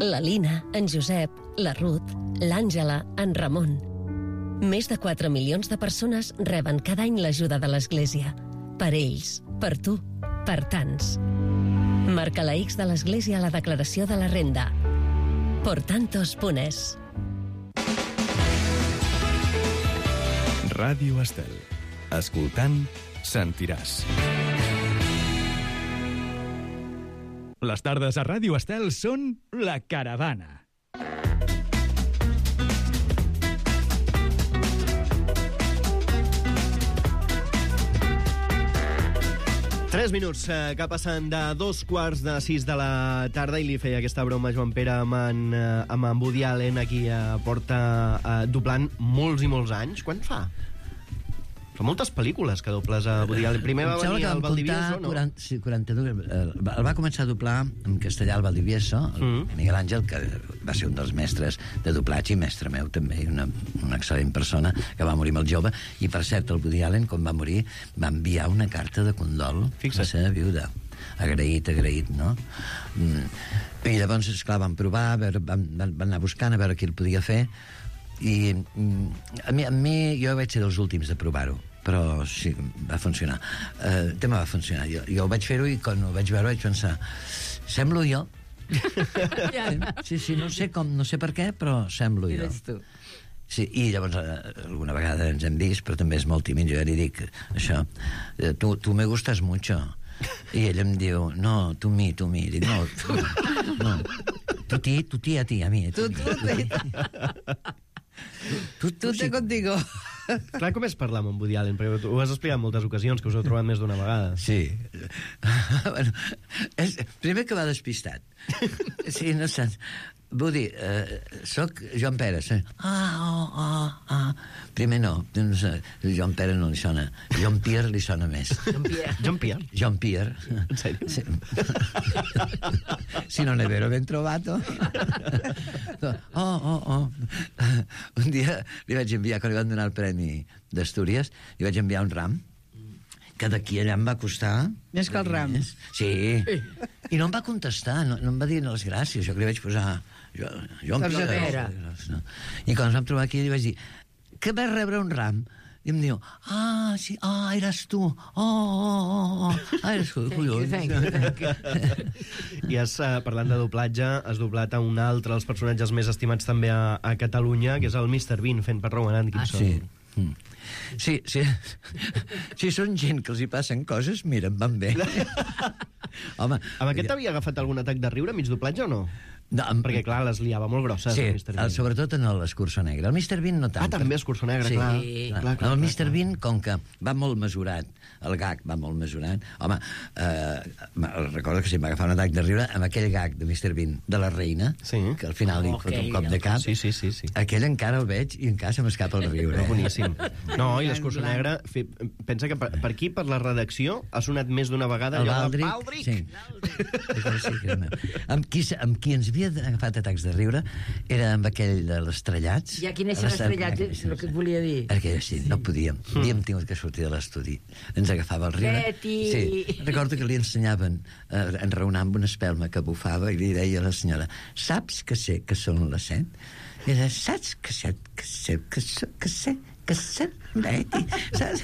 La Lina, en Josep, la Ruth, l'Àngela, en Ramon. Més de quatre milions de persones reben cada any l'ajuda de l'Església. Per ells, per tu, per tants. Marca la X de l'Església a la declaració de la renda. Por tantos punes. Ràdio Estel. Escoltant, sentiràs. Les tardes a Ràdio Estel són La Caravana. Tres minuts eh, que passen de dos quarts de sis de la tarda i li feia aquesta broma a Joan Pere amb en, eh, amb en Woody Allen, aquí eh, porta eh, doblant molts i molts anys. Quan fa? Fa moltes pel·lícules que dobles a Woody Allen. Primer va venir al Valdivieso, no? quaranta, sí, quaranta-dos. El va, el va començar a doblar en castellà al Valdivieso, el mm. Miguel Àngel, que va ser un dels mestres de doblatge i mestre meu també, i una, una excel·lent persona que va morir molt jove. I, per cert, el Woody Allen, quan va morir, va enviar una carta de condol a la seva viuda. Agraït, agraït, no? Mm. I llavors, esclar, van provar, a veure, van, van anar buscant a veure qui el podia fer, i mm, a, mi, a mi jo vaig ser dels últims de provar-ho, però sí, va funcionar. Eh, el tema va funcionar. Jo, jo ho vaig fer-ho i quan ho vaig veure vaig pensar, semblo jo? Sí, sí, no sé com, no sé per què, però semblo jo. Eres tu. Sí, i llavors eh, alguna vegada ens hem vist, però també és molt tímid. Jo ja li dic això, eh, tu, tu me gustas mucho. I ell em diu, no, tu mi, tu mi. Dic, no, tu, no. Tu ti, tu ti a ti, a mi. Tu, tu, tu, tu, tu contigo. Clar, com és parlar amb en Woody Allen? Perquè ho has explicat en moltes ocasions, que us heu trobat més d'una vegada. Sí. Bueno, és, primer que va despistat. Sí, no saps. Woody, eh, soc Joan Pere. Sí. Ah, oh, oh, ah. Primer no, no sé, Joan Pere no li sona. Joan Pierre li sona més. Joan Pierre. Joan Pierre? Joan Pierre. En sèrio? Sí. Si non è vero, ben trovato. Oh, oh, oh. Un dia li vaig enviar, quan li van donar el Premi d'Astúries, li vaig enviar un ram que d'aquí allà em va costar... Més que el ram. Sí. I no em va contestar, no, no em va dir les gràcies. Jo que li vaig posar... Jo, jo em Pierre. No. I quan ens vam trobar aquí li vaig dir que vas rebre un ram. I em diu, ah, sí, ah, eres tu. Oh, oh, oh, oh. Ah, eres tu, collons. Thank you, thank you. I has, uh, parlant de doblatge, has doblat a un altre dels personatges més estimats també a, a Catalunya, que és el mister Bean, fent per Rowan Atkinson. Ah, sí. Mm. Sí, sí. Si són gent que els hi passen coses, mira, em van bé. Home, amb aquest havia agafat algun atac de riure mig doblatge o no? No, amb... Perquè, clar, les liava molt grosses, sí, el mister Bean. Sobretot en l'Escurçó Negre. El mister Bean no tant. Ah, també Escurçó Negre, sí, clar. Sí, clar, clar, clar. El mister Bean, com que va molt mesurat, el gag va molt mesurat, home, eh, recordo que si em va agafar un atac de riure amb aquell gag de mister Bean de la reina, sí, que al final li oh, fot un okay, cop de cap. Sí, sí, sí, sí. Aquell encara el veig i encara se m'escapa el riure. Eh? Boníssim. No, i l'Escurçó Negre, fi, pensa que per, per aquí, per la redacció, ha sonat més d'una vegada el allò Baldric, de Baldric. Sí. Sí, que amb, qui, amb qui ens havia agafat atacs de riure era amb aquell de l'estrellats. Ja, quin és l'estrellat? És el que et volia dir. Perquè sí, no podíem. Mm. Havíem tingut que sortir de l'estudi. Ens agafava el riure. Betty! Sí. Recordo que li ensenyaven a eh, enraonar amb una espelma que bufava i li deia a la senyora, saps que sé que són les set? I ella, saps que sé que sé que sé que sé que sé Betty, saps?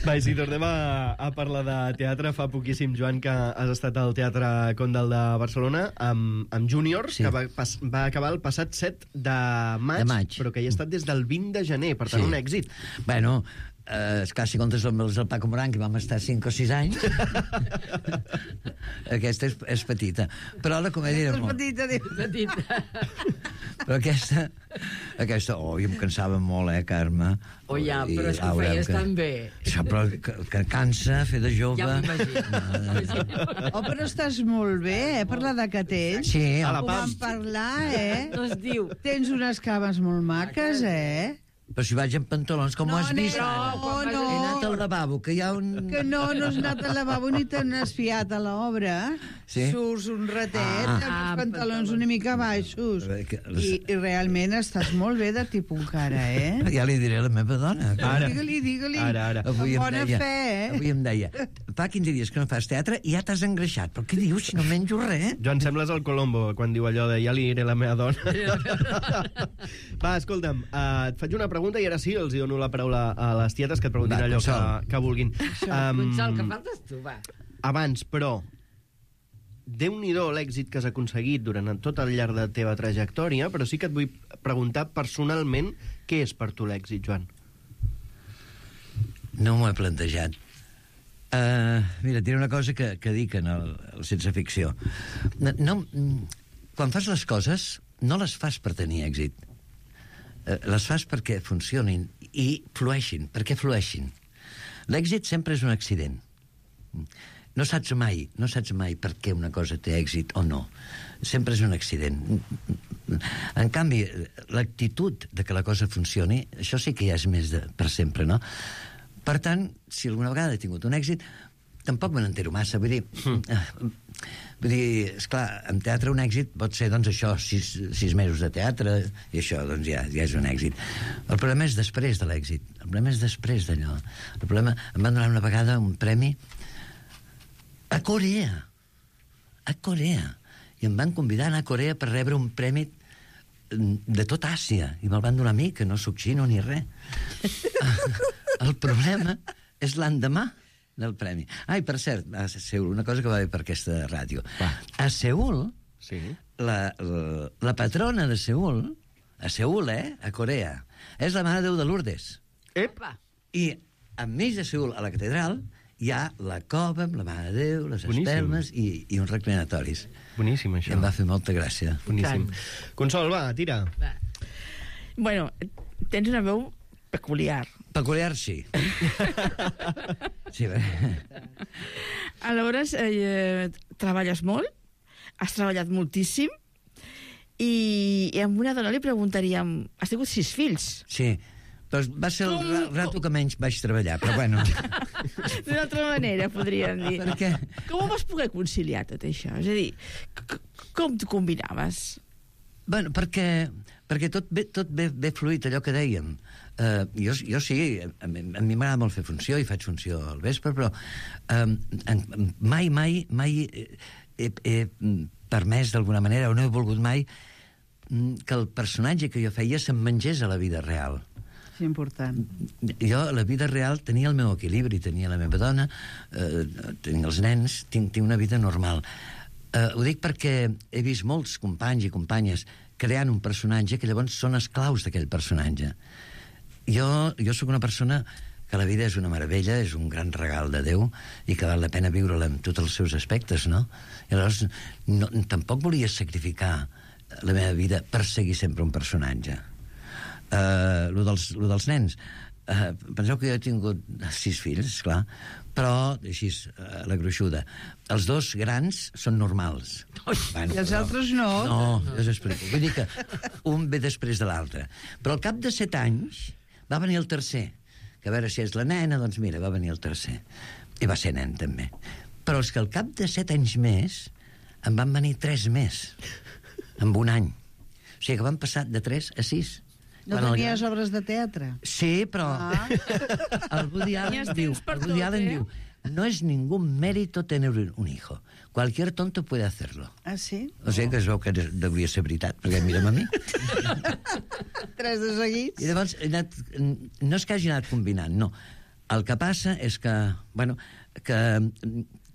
Va, i si tornem a, a parlar de teatre, fa poquíssim, Joan, que has estat al Teatre Condal de Barcelona amb, amb Júnior, Sí. que va, pas, va acabar el passat set de maig, De maig. però que hi ha estat des del vint de gener, per tant, Sí. un èxit. Bueno, eh, esclar, si comptes amb els del Paco Moran, que vam estar cinc o sis anys, aquesta és, és petita. Però la comèdia era És molt... petita, diu. Petita. Però aquesta... Aquesta... Oh, i em cansava molt, eh, Carme? Oh, ja, I, però és que ho Laura, feies tan bé. Això, però que, que cansa fer de jove. Ja m'imagino. Oh, però estàs molt bé, eh, per l'edat que tens. Sí, A la Ho Pam. vam parlar, eh? No es diu. Tens unes cames molt maques, eh? però si vaig en pantalons, com No, ho has vist? nena, ara? no, no. He anat al lavabo, que hi ha un... Que no, no has anat al lavabo ni te n'has fiat a l'obra. Sí? Surts un ratet Ah. amb els pantalons una mica baixos. I, I realment estàs molt bé de tipus encara, eh? Ja li diré a la meva dona. Ara. Digue-li, digue-li. Ara, ara. Avui Amb em bona deia, fe, eh? Avui em deia, fa quinze dies que no fas teatre i ja t'has engreixat. Però què dius, si no menjo res? Joan, sembles el Colombo quan diu allò de ja li diré la meva dona. Va, escolta'm, uh, et faig una pregunta i ara sí els hi dono la paraula a les tietes que et preguntin Va, allò que, Consol. que vulguin. Um, Consol, que faltes tu, va. Abans, però, Déu-n'hi-do l'èxit que has aconseguit durant tot el llarg de la teva trajectòria, però sí que et vull preguntar personalment què és per tu l'èxit, Joan. No m'ho he plantejat. Uh, mira, et diré una cosa que, que dic en el, el Sense Ficció. No, no, quan fas les coses, no les fas per tenir èxit. Uh, les fas perquè funcionin i flueixin, perquè flueixin. L'èxit sempre és un accident. No saps mai, no saps mai per què una cosa té èxit o no. Sempre és un accident. En canvi, l'actitud de que la cosa funcioni, això sí que ja és més de, per sempre, no? Per tant, si alguna vegada he tingut un èxit, tampoc me n'entero massa. Vull dir, mm. vull dir, esclar, en teatre un èxit pot ser, doncs, això, sis, sis mesos de teatre, i això, doncs, ja, ja és un èxit. El problema és després de l'èxit. El problema és després d'allò. El problema... Em van donar una vegada un premi a Corea. A Corea. I em van convidar a anar a Corea per rebre un premi de tot Àsia. I me'l van donar a mi, que no soc xino ni res. El problema és l'endemà del premi. Ai, per cert, a Seul, una cosa que va bé per aquesta ràdio. Va. A Seul, sí. la, la, la patrona de Seul, a Seul, eh, a Corea, és la Mare de Déu de Lourdes. Epa! I enmig de Seul, a la catedral, hi ha la cova amb la Mare de Déu, les Boníssim. espelmes i, i uns reclinatoris. Boníssim, això. I em va fer molta gràcia. Boníssim. Consol, va, tira. Va. Bueno, tens una veu peculiar. Peculiar, sí. Sí, bé. Aleshores, eh, treballes molt, has treballat moltíssim, i, i a una dona li preguntaríem, has tingut sis fills? Sí, però va ser el ra rato que menys vaig treballar, però bueno. D'una altra manera, podríem dir. Per què? Com ho vas poder conciliar, tot això? És a dir, c- com t'ho combinaves? Bueno, perquè, perquè tot ve, tot ve, ve fluid, allò que dèiem. Uh, jo, jo sí, a mi, a mi m'agrada molt fer funció, i faig funció al vespre, però um, en, mai, mai, mai he, he permès d'alguna manera, o no he volgut mai, que el personatge que jo feia se'm mengés a la vida real. És important. Jo, a la vida real, tenia el meu equilibri, tenia la meva dona, eh, tenia els nens, tinc, tinc una vida normal. Eh, ho dic perquè he vist molts companys i companyes creant un personatge que llavors són esclaus d'aquell personatge. Jo, jo sóc una persona que la vida és una meravella, és un gran regal de Déu i que val la pena viure-la amb tots els seus aspectes, no? I llavors no, tampoc volia sacrificar la meva vida per seguir sempre un personatge. Uh, lo, dels, lo dels nens, uh, penseu que jo he tingut sis fills, clar, però així, uh, la gruixuda, els dos grans són normals. Bueno, I els però, altres no? no, jo us explico. Vull dir que un ve després de l'altre, però al cap de set anys va venir el tercer, que a veure si és la nena, doncs mira, va venir el tercer, i va ser nen també, però és que al cap de set anys més en van venir tres més en un any, o sigui que van passar de tres a sis. No Quan el tenies gran- obres de teatre? Sí, però Ah. el Woody Allen Tenies diu, temps per el Woody tot, Allen eh? diu, no es ningún mérito tener un hijo. Cualquier tonto puede hacerlo. Ah, sí? O sigui que es veu que devia ser veritat, perquè mira'm a mi. Tres de seguits? I llavors, he anat, no és que hagi anat combinant, no. El que passa és que, bueno, que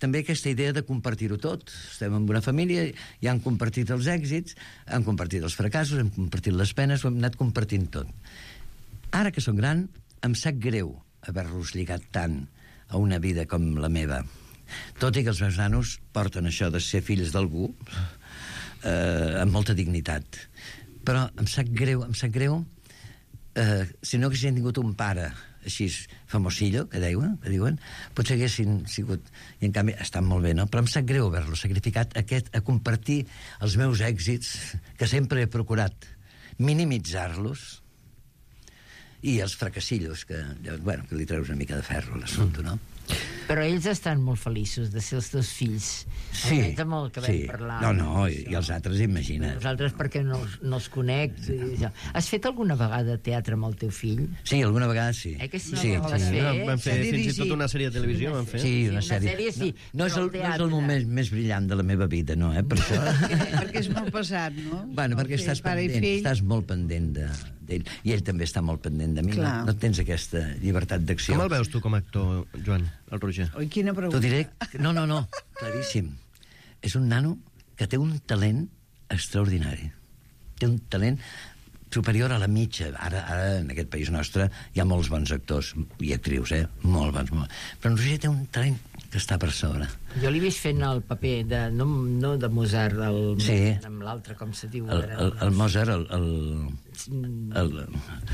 també aquesta idea de compartir-ho tot. Estem en una família, ja han compartit els èxits, han compartit els fracassos, hem compartit les penes, ho hem anat compartint tot. Ara que soc gran, em sap greu haver-los lligat tant a una vida com la meva. Tot i que els meus nanos porten això de ser fills d'algú eh, amb molta dignitat. Però em sap greu, em sap greu eh, si no haguessin tingut un pare així famosillo, que diuen, que diuen, potser haguessin sigut... I en canvi estan molt bé, no? Però em sap greu haver-lo sacrificat aquest, a compartir els meus èxits, que sempre he procurat minimitzar-los, i els fracassillos, que, bueno, que li treus una mica de ferro a l'assumpte, no? Però ells estan molt feliços de ser els teus fills. Sí, Almenys amb el que vam sí. parlar. No, no, i, i els altres, imagina. Nosaltres perquè no, els- no els conec. I- Has fet alguna vegada teatre amb el teu fill? Sí, alguna vegada sí. Eh que sí? Sí, No, vas sí. fer? Vam fer S'ha fins i dirigit. tot una sèrie de televisió, vam fer. Sí, una una sèrie. sèrie sí, no, no, és però el, el no és el teatre. moment més brillant de la meva vida, no, eh, per això. Perquè és molt pesat, no? Bueno, perquè El estàs pare i pendent, fill. estàs molt pendent de, d'ell, i ell també està molt pendent de mi, no, Clar. no tens aquesta llibertat d'acció. Com el veus tu com a actor, Joan, el Roger? Oi, quina pregunta. T'ho diré... No, no, no, claríssim. És un nano que té un talent extraordinari. Té un talent superior a la mitja. Ara, ara en aquest país nostre hi ha molts bons actors i actrius, eh? Molt bons. Molt. Però en Roger té un talent que està per sobre. Jo l'he vist fent el paper de, no, no de Mozart, el, Sí. amb l'altre, com se diu? El, ara? el, el Mozart, el, el, el,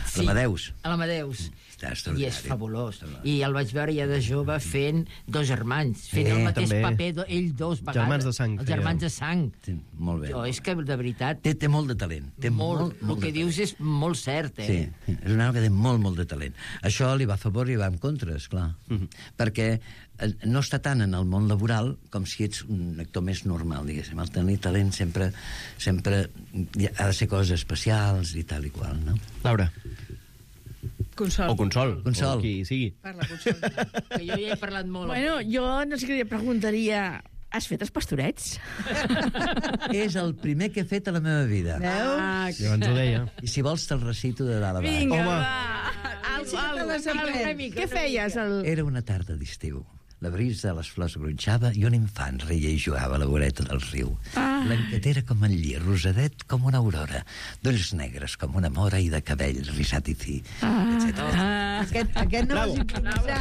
Sí, l'Amadeus. l'Amadeus. Està I extraordinari. és fabulós. I el vaig veure ja de jove fent dos germans, fent Sí, el mateix també. paper, do- ell dos vegades. Germans de sang, Els feia. germans de sang. Sí, molt bé. Jo, és que, de veritat, Té, té molt de talent. Té molt, molt, molt, el que de dius és molt cert, eh? Sí, és un home que té molt, molt de talent. Això li va a favor i va en contra, esclar. Mm -hmm. Perquè eh, no està tant en el món laboral com si ets un actor més normal, diguéssim. El tenir talent sempre, sempre ha de ser coses especials i tal i qual, no? Laura. Consol. O Consol. Consol. O qui sigui. Parla, Consol. Que jo ja he parlat molt. Bueno, jo no sé què li preguntaria... Has fet els pastorets? És el primer que he fet a la meva vida. Ah, Llavors ho deia. I si vols te'l recito de dalt a baix. Vinga, Home. va. Al, al, al, al, què feies? El... Era una tarda d'estiu. La brisa de les flors gronxava i un infant reia i jugava a la voreta del riu. Ah. Blanquetera com el lli, rosadet com una aurora, d'ulls negres com una mora i de cabell risat i fi, Ah. etcètera. Ah. Aquest, aquest no vas improvisar.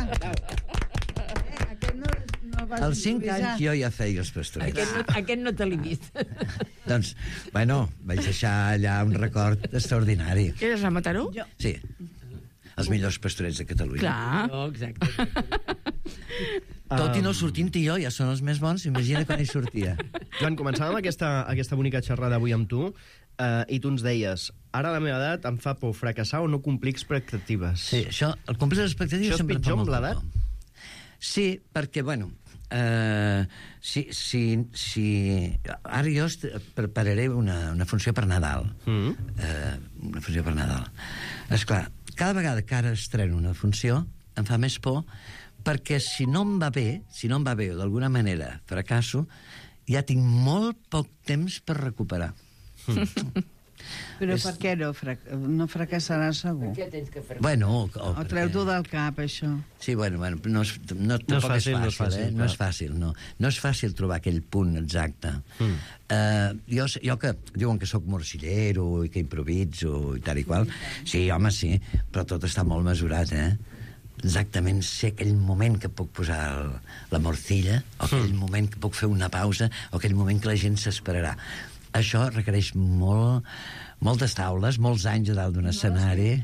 Eh, aquest no, no vas Als cinc improvisar. anys jo ja feia els pastorets. Aquest no, aquest no te l'he vist. Doncs, bueno, vaig deixar allà un record extraordinari. Eres a Mataró? Jo. Sí, els millors pastorets de Catalunya. Clar. No, exacte. Tot i no sortint-hi jo, ja són els més bons, imagina quan hi sortia. Joan, començàvem aquesta, aquesta bonica xerrada avui amb tu eh, i tu ens deies, ara a la meva edat em fa por fracassar o no complir expectatives. Sí, això, el complir les expectatives Això és sempre em fa pitjor amb molta l'edat? por. Sí, perquè, bueno, eh, si, si, si... Ara jo est- prepararé una, una funció per Nadal. Mm. Eh, una funció per Nadal. Esclar, cada vegada que ara estreno una funció em fa més por perquè si no em va bé, si no em va bé o d'alguna manera fracasso, ja tinc molt poc temps per recuperar. Però per què no, frac no fracassaràs segur? Què tens que fer? Bueno, o, o, O treu-t'ho del cap, això. Sí, bueno, bueno no, és, no, No és tampoc fàcil, no és és fàcil, fàcil, eh? No clar. és fàcil, no. No és fàcil trobar aquell punt exacte. Mm. Uh, jo, jo que diuen que sóc morcillero i que improviso i tal i qual, sí, home, sí, però tot està molt mesurat, eh? Exactament sé aquell moment que puc posar el, la morcilla, o aquell mm. moment que puc fer una pausa, o aquell moment que la gent s'esperarà. Això requereix molt, moltes taules, molts anys a dalt d'un escenari.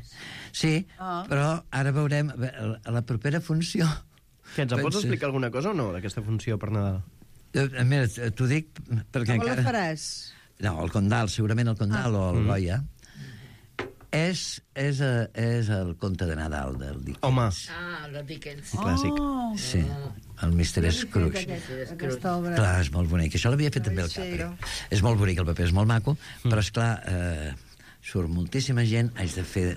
Sí, Ah. però ara veurem a la propera funció. Que ens en pots Pensa- explicar alguna cosa o no, d'aquesta funció per Nadal? Eh, Mira, t'ho dic perquè Com la encara... faràs? No, el Condal, segurament el Condal Ah. o el Mm. Goya. És, és, eh, és el conte de Nadal del Dickens. Home, Ah, el de Dickens. clàssic. Oh, Sí, el mister Scrooge. aquesta obra. Clar, és molt bonic. Això l'havia fet també el Capri. És molt bonic, el paper és molt maco, mm. però, esclar, eh, surt moltíssima gent, haig de fer...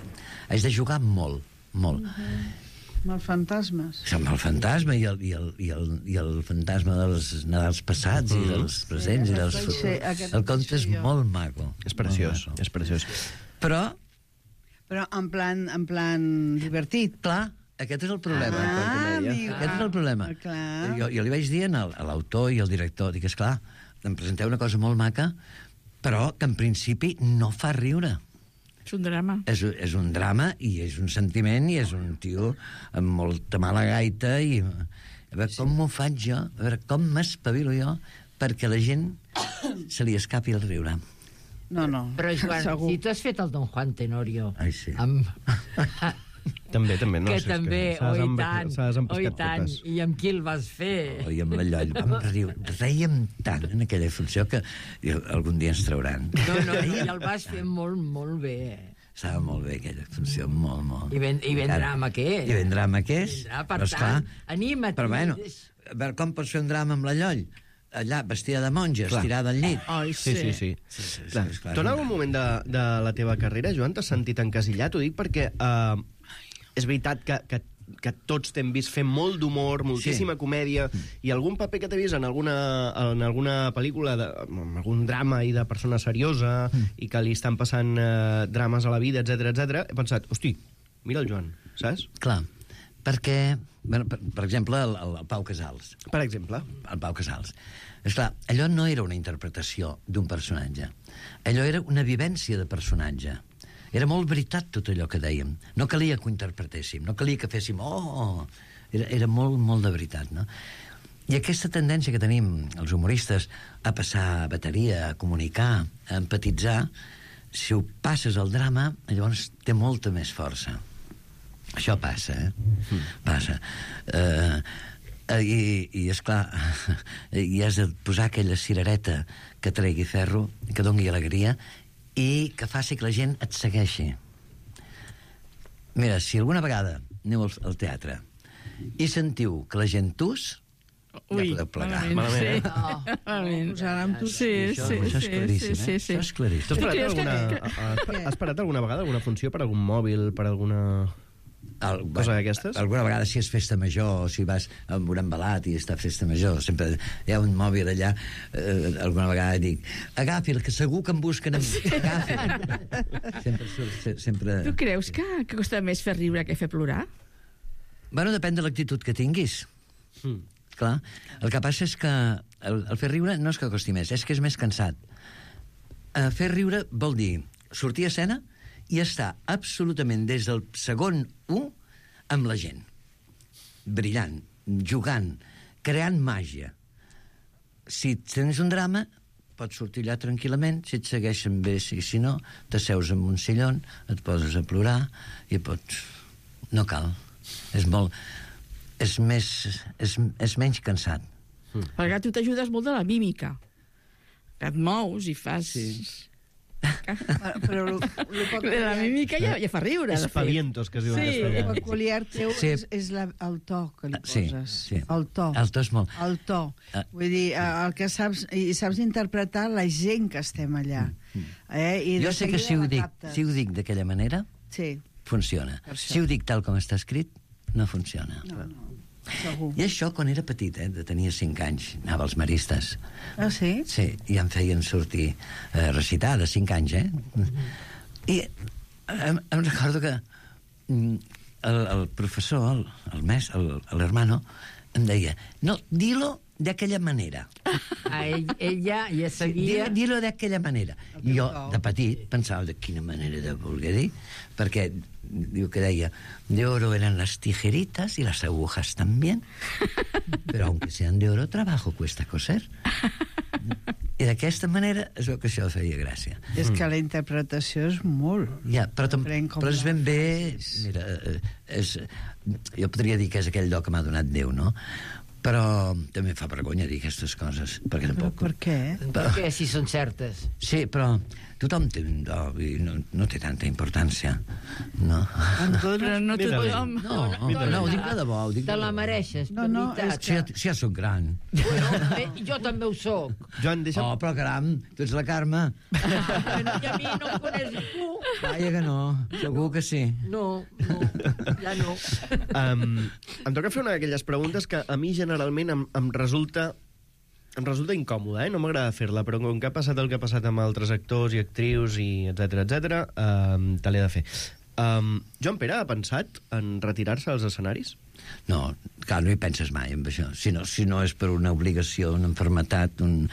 Haig de jugar molt, molt. Amb els fantasmes. Amb el fantasma i el, i el, i el, i el fantasma dels Nadals passats mm. i dels presents Sí, i dels aquest vaig ser- futurs. aquest El vaig conte és ser jo. molt maco. És preciós, molt maco. és preciós. Però, Però en plan, en plan divertit. clar, Aquest és el problema. Ah, amigo. Aquest és el problema. Clar. Jo, jo li vaig dir al, a l'autor i al director, dic, esclar, em presenteu una cosa molt maca, però que en principi no fa riure. És un drama. És, és un drama i és un sentiment i és un tio amb molta mala gaita i... A veure, com m'ho faig jo? A veure, com m'espavilo jo perquè la gent se li escapi el riure. No, no. Però, Joan, segur. si tu has fet el Don Juan Tenorio... Ai, sí. Amb... També, també. No, que si és també, s'ha oi desem- tant, s'ha desempescat oi tant. totes. I amb qui el vas fer? Oh, I amb la Lloll. Vam riure, rèiem tant en aquella funció que i algun dia ens trauran. No, no, i el vas fer molt, molt bé. Estava molt bé aquella funció, molt, molt. I ben, i ben Encara. drama que és. I ben drama que és. Vindrà, per Però, esclar, tant, anima't. Però bueno, a veure, com pots fer un drama amb la Lloll? Allà, vestida de monja, Clar. estirada al llit. Ai, Sí, sí, sí. Sí, sí, sí, Clar. esclar, Tu en és un algun drama. moment de, de la teva carrera, Joan, t'has sentit encasillat? Ho dic perquè uh, és veritat que, que, que tots t'hem vist fer molt d'humor, moltíssima Sí. comèdia, i algun paper que t'he vist en alguna, en alguna pel·lícula, de, en algun drama i de persona seriosa, mm. i que li estan passant uh, drames a la vida, etc etc, he pensat, hosti, mira el Joan, saps? Clar, perquè, bueno, per, per exemple, el, el, el Pau Casals. Per exemple. El Pau Casals. Esclar, allò no era una interpretació d'un personatge. Allò era una vivència de personatge. Era molt veritat tot allò que dèiem. No calia que ho interpretéssim, no calia que féssim... Oh! Era, era molt, molt de veritat, no? I aquesta tendència que tenim els humoristes a passar bateria, a comunicar, a empatitzar, si ho passes al drama, llavors té molta més força. Això passa, eh? Mm. Passa. Eh, i, i esclar, i has de posar aquella cirereta que tregui ferro, que doni alegria, i que faci que la gent et segueixi. Mira, si alguna vegada aneu al, al teatre i sentiu que la gent tus, Ui, ja podeu plegar. malament, sí. Malament, eh? Malament. Posaran tu... Sí, Això, sí, això és sí, claríssim, sí, sí, eh? sí. Això és claríssim. Tu has parat, creus que- alguna, que- has, has parat alguna vegada alguna funció per algun mòbil, per alguna... El, Cosa d'aquestes? Alguna vegada si és festa major o si vas amb un embalat i està festa major, sempre hi ha un mòbil allà, eh, alguna vegada dic agafi'l, que segur que em busquen amb... agafi'l. Sempre, se- sempre... Tu creus que, que costa més fer riure que fer plorar? Bueno, depèn de l'actitud que tinguis. Mm. Clar, el que passa és que el, el fer riure no és que costi més, és que és més cansat. Uh, fer riure vol dir sortir a escena i estar absolutament des del segon u amb la gent. Brillant, jugant, creant màgia. Si tens un drama, pots sortir allà tranquil·lament, si et segueixen bé, si, si no, t'asseus en un sillon, et poses a plorar i pots... No cal. És molt... És més... És, és menys cansat. Mm. Perquè tu t'ajudes molt de la mímica. Que et mous i fas... Sí. Però lo, lo poc La mímica ja, ja fa riure, de fet. Espavientos, que es diu en Sí. castellà. El peculiar teu Sí. és, és la, el to que li Sí, poses. sí. El to. El to és molt... El to. Ah. Vull dir, eh, el que saps... I saps interpretar la gent que estem allà. Eh? I Jo de sé que seguida si ho la dic, captes. si ho dic d'aquella manera, Sí, funciona. Per això. Si ho dic tal com està escrit, no funciona. no, no. Segur. I això quan era petit, eh, de tenia cinc anys, anava als maristes. Ah, sí? Sí, i em feien sortir eh, recitar de cinc anys, eh? I em, em recordo que mm, el, el professor, el, el mes, el, l'hermano, em deia, no, dilo de aquella manera. A ell, ella ja seguia... Dilo, dilo de aquella manera. I jo, de petit, pensava de quina manera de voler dir, perquè diu que deia, de oro eran las tijeritas y las agujas también, pero aunque sean de oro, trabajo cuesta coser. I d'aquesta manera es veu que això feia gràcia. És que la interpretació és molt... Ja, però, tam, Prenc com però és ben la bé... facis. Mira, eh, és, jo podria dir que és aquell do que m'ha donat Déu, no? Però també fa vergonya dir aquestes coses, perquè Però tampoc... per què? Per què, si són certes? Sí, però tothom té un do i no, no té tanta importància, no? Però no Mira, tothom... No, no, no, ho dic de debò, ho dic Te de la debò. mereixes, No, de no, veritat. Si ja, si ja soc gran. Bueno, eh, jo també ho soc. Joan, deixa'm... Oh, però caram, tu ets la Carme. Ah, I a mi no em coneix ningú. Vaja que no, segur que sí. No, no, ja no. Um, em toca fer una d'aquelles preguntes que a mi generalment em, em resulta em resulta incòmoda, eh? No m'agrada fer-la, però com que ha passat el que ha passat amb altres actors i actrius i etc etc, um, te l'he de fer. Um, Joan Pere ha pensat en retirar-se als escenaris? No, clar, no hi penses mai en això. Si no, si no és per una obligació, una enfermetat, un...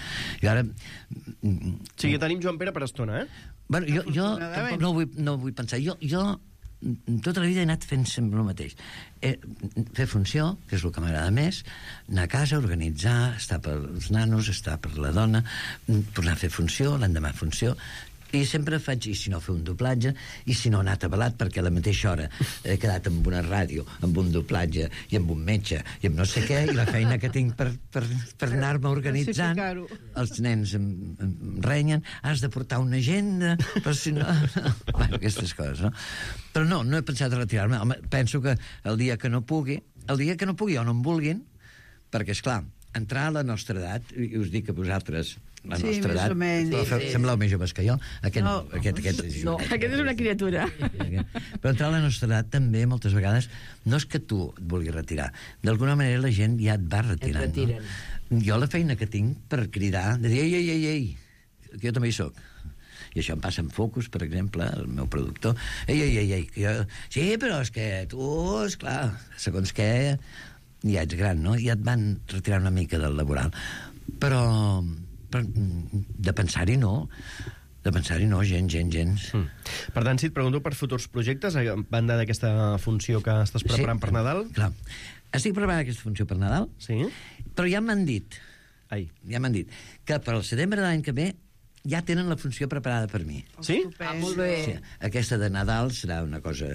I ara... O sigui, tenim Joan Pere per estona, eh? Bueno, jo, jo tampoc no vull, no vull pensar. Jo, jo tota la vida he anat fent sempre el mateix. Eh, fer funció, que és el que m'agrada més, anar a casa, organitzar, estar pels nanos, estar per la dona, tornar a fer funció, l'endemà funció... I sempre faig, i si no, fer un doblatge, i si no, anar atabalat, perquè a la mateixa hora he quedat amb una ràdio, amb un doblatge, i amb un metge, i amb no sé què, i la feina que tinc per, per, per anar-me organitzant. Els nens em, em renyen, has de portar una agenda, però si no... Bueno, aquestes coses, no? Però no, no he pensat a retirar-me. Home, penso que el dia que no pugui, el dia que no pugui o no em vulguin, perquè, esclar, entrar a la nostra edat, i us dic a vosaltres, la sí, nostra edat, sí, sí. Sembleu més joves que jo. Aquest, no. aquest, aquest, no. Aquest és una criatura. Però entrar a la nostra edat també, moltes vegades, no és que tu et vulguis retirar. D'alguna manera la gent ja et va retirant. No? Jo la feina que tinc per cridar, de dir, ei, ei, ei, ei, que jo també hi soc. I això em passa amb Focus, per exemple, el meu productor. Ei, ei, ei, ei, que jo... Sí, però és que tu, esclar, segons què, ja ets gran, no? Ja et van retirar una mica del laboral. Però... però de pensar-hi no, de pensar-hi no, gens, gens, gens. Mm. Per tant, si et pregunto per futurs projectes, a banda d'aquesta funció que estàs preparant sí, per Nadal... Clar, estic preparant aquesta funció per Nadal, sí. Però ja m'han dit, Ai. ja m'han dit, que per al setembre de l'any que ve ja tenen la funció preparada per mi. Sí? Ah, molt bé. Sí, aquesta de Nadal serà una cosa...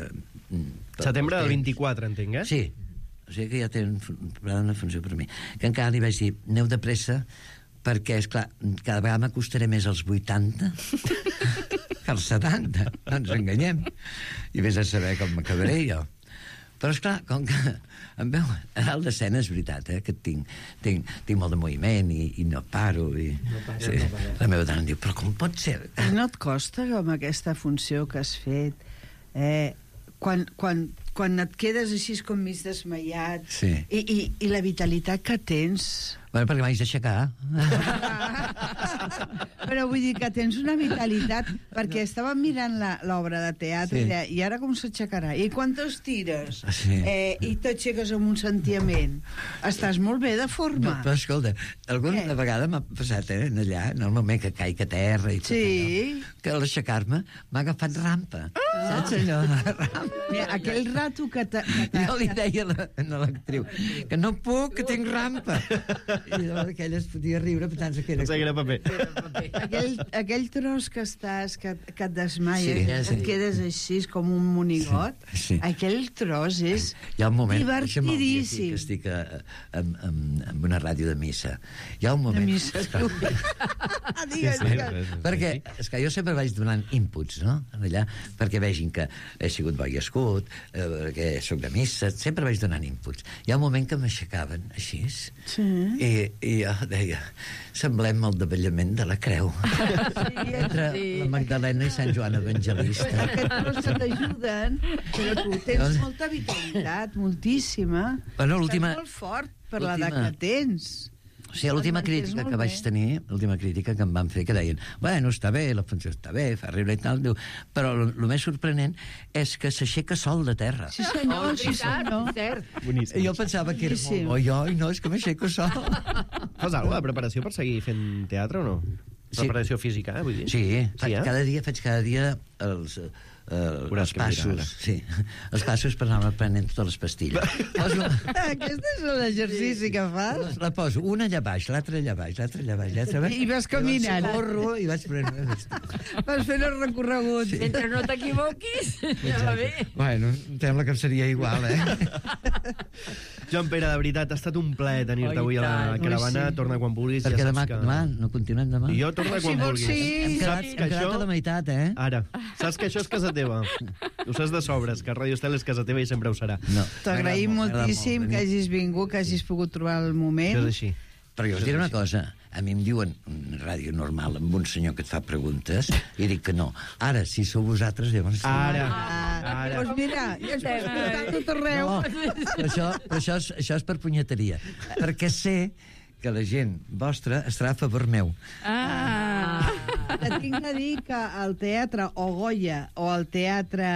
Setembre del vint-i-quatre, entenc, eh? Sí, o sigui que ja tenen preparada una funció per mi. Que encara li vaig dir, aneu de pressa, perquè, esclar, cada vegada m'acostaré més als vuitanta que als setanta, no ens enganyem. I vés a saber com m'acabaré jo. Però, esclar, com que em veu a dalt d'escena, és veritat, eh, que tinc, tinc, tinc molt de moviment i, i no paro. I, no paro, sí, no paro. La meva dona em diu, però com pot ser? No et costa, com aquesta funció que has fet, eh, quan, quan, quan et quedes així com mig desmaiat, sí. i, i, i la vitalitat que tens... Bueno, perquè m'haig d'aixecar. Però vull dir que tens una vitalitat, perquè estàvem mirant l'obra de teatre, sí. I ara com s'aixecarà? I quan t'estires? Sí. Eh, I t'aixeques amb un sentiment. Estàs molt bé de forma. No, però escolta, alguna eh. vegada m'ha passat, eh, allà, en el moment que caic a terra i tot sí. allò, que a l'aixecar-me m'ha agafat rampa. Ah. Saps allò? Rampa. Mira, aquell rato que t'ha... Jo li deia a l'actriu que no puc, que tinc rampa. I llavors aquella es podia riure pensant que era... Pensava que era paper. Aquell, aquell tros que estàs, que, que et desmaies, sí, que sí. et quedes així com un monigot, sí, sí. Aquell tros és hi ha un moment, divertidíssim. Que estic a, a, a, a una ràdio de missa. Hi ha un moment... De missa. Digues, digues. Perquè, és que jo sempre vaig donant inputs, no?, allà, perquè vegin que he sigut bo i escut, eh, perquè soc de missa, sempre vaig donant inputs. Hi ha un moment que m'aixecaven així, sí. i, i jo deia, semblem el davallament de la creu. Sí, entre sí. la Magdalena i Sant Joan Evangelista. Aquests tros que t'ajuden, però tu tens molta vitalitat, moltíssima. Bueno, l'última... Estàs molt fort per l'edat que tens. O sigui, l'última crítica que vaig tenir, l'última crítica que em van fer, que deien, bueno, està bé, la funció està bé, fa riure i tal, diu, però el més sorprenent és que s'aixeca sol de terra. Sí, senyor, sí, senyor. I jo pensava que era molt bo jo, i no, és que m'aixeco sol. Fas alguna de preparació per seguir fent teatre o no? Sí. Preparació física, eh, vull dir? Sí, sí eh? cada dia faig cada dia els... Uh, els passos, sí. Els passos per anar prenent totes les pastilles. Poso... Aquest és l'exercici que fas? La poso una allà baix, l'altra allà baix, l'altra allà baix, l'altra baix. I vas caminant. I corro i vaig prenent... Vas fent el recorregut. Sí. Mentre no t'equivoquis, ja va bé. Bueno, em sembla que seria igual, eh? Joan Pere, de veritat, ha estat un plaer tenir-te avui a la caravana. Sí. Torna quan vulguis. Perquè ja demà, que... demà, no continuem demà? I jo torna quan si vulguis. Sí. Hem quedat, saps hem que quedat això... a la meitat, eh? Ara, saps que això és casa teva. Ho saps de sobres, que Ràdio Estel és casa teva i sempre ho serà. No. T'agraïm moltíssim que hagis vingut, que hagis pogut trobar el moment. Això és així. Però jo us diré una cosa, a mi em diuen una ràdio normal amb un senyor que et fa preguntes i dic que no. Ara, si sou vosaltres, llavors... Ara, ah, ara. Doncs mira, ja es pot escoltar tot arreu. No, però això, però això, és, això és per punyeteria. Perquè sé que la gent vostra estarà a favor meu. Ah! Te tinc de dir que el teatre o Goya o el teatre...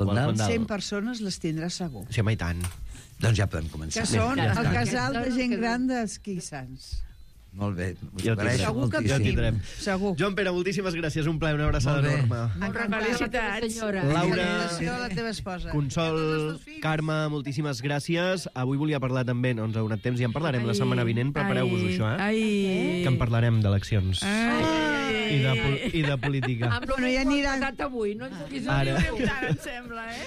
Fondal. Fondal. cent persones les tindràs segur. Sí, home, i tant. Doncs ja podem començar. Que són Ja el està. casal de gent gran d'Esquissans. Molt bé. Us Ja ho agraeixo Segur que Ja ho moltíssim. tindrem. Segur. Joan Pere, moltíssimes gràcies. Un plaer, una abraçada Molt bé. enorme. Felicitats. Senyora. Laura, Felicitació a la teva esposa. Consol, Carme, moltíssimes gràcies. Avui volia parlar també, no ens ha donat temps, i en parlarem la Ai, setmana vinent. Prepareu-vos ai, això, eh? Ai. Que en parlarem d'eleccions. Ai. I de, pol- I de política. Amb el Bueno, que ja hem aniran- passat avui, no ens puguis Ara. dir. Ara, em sembla, eh?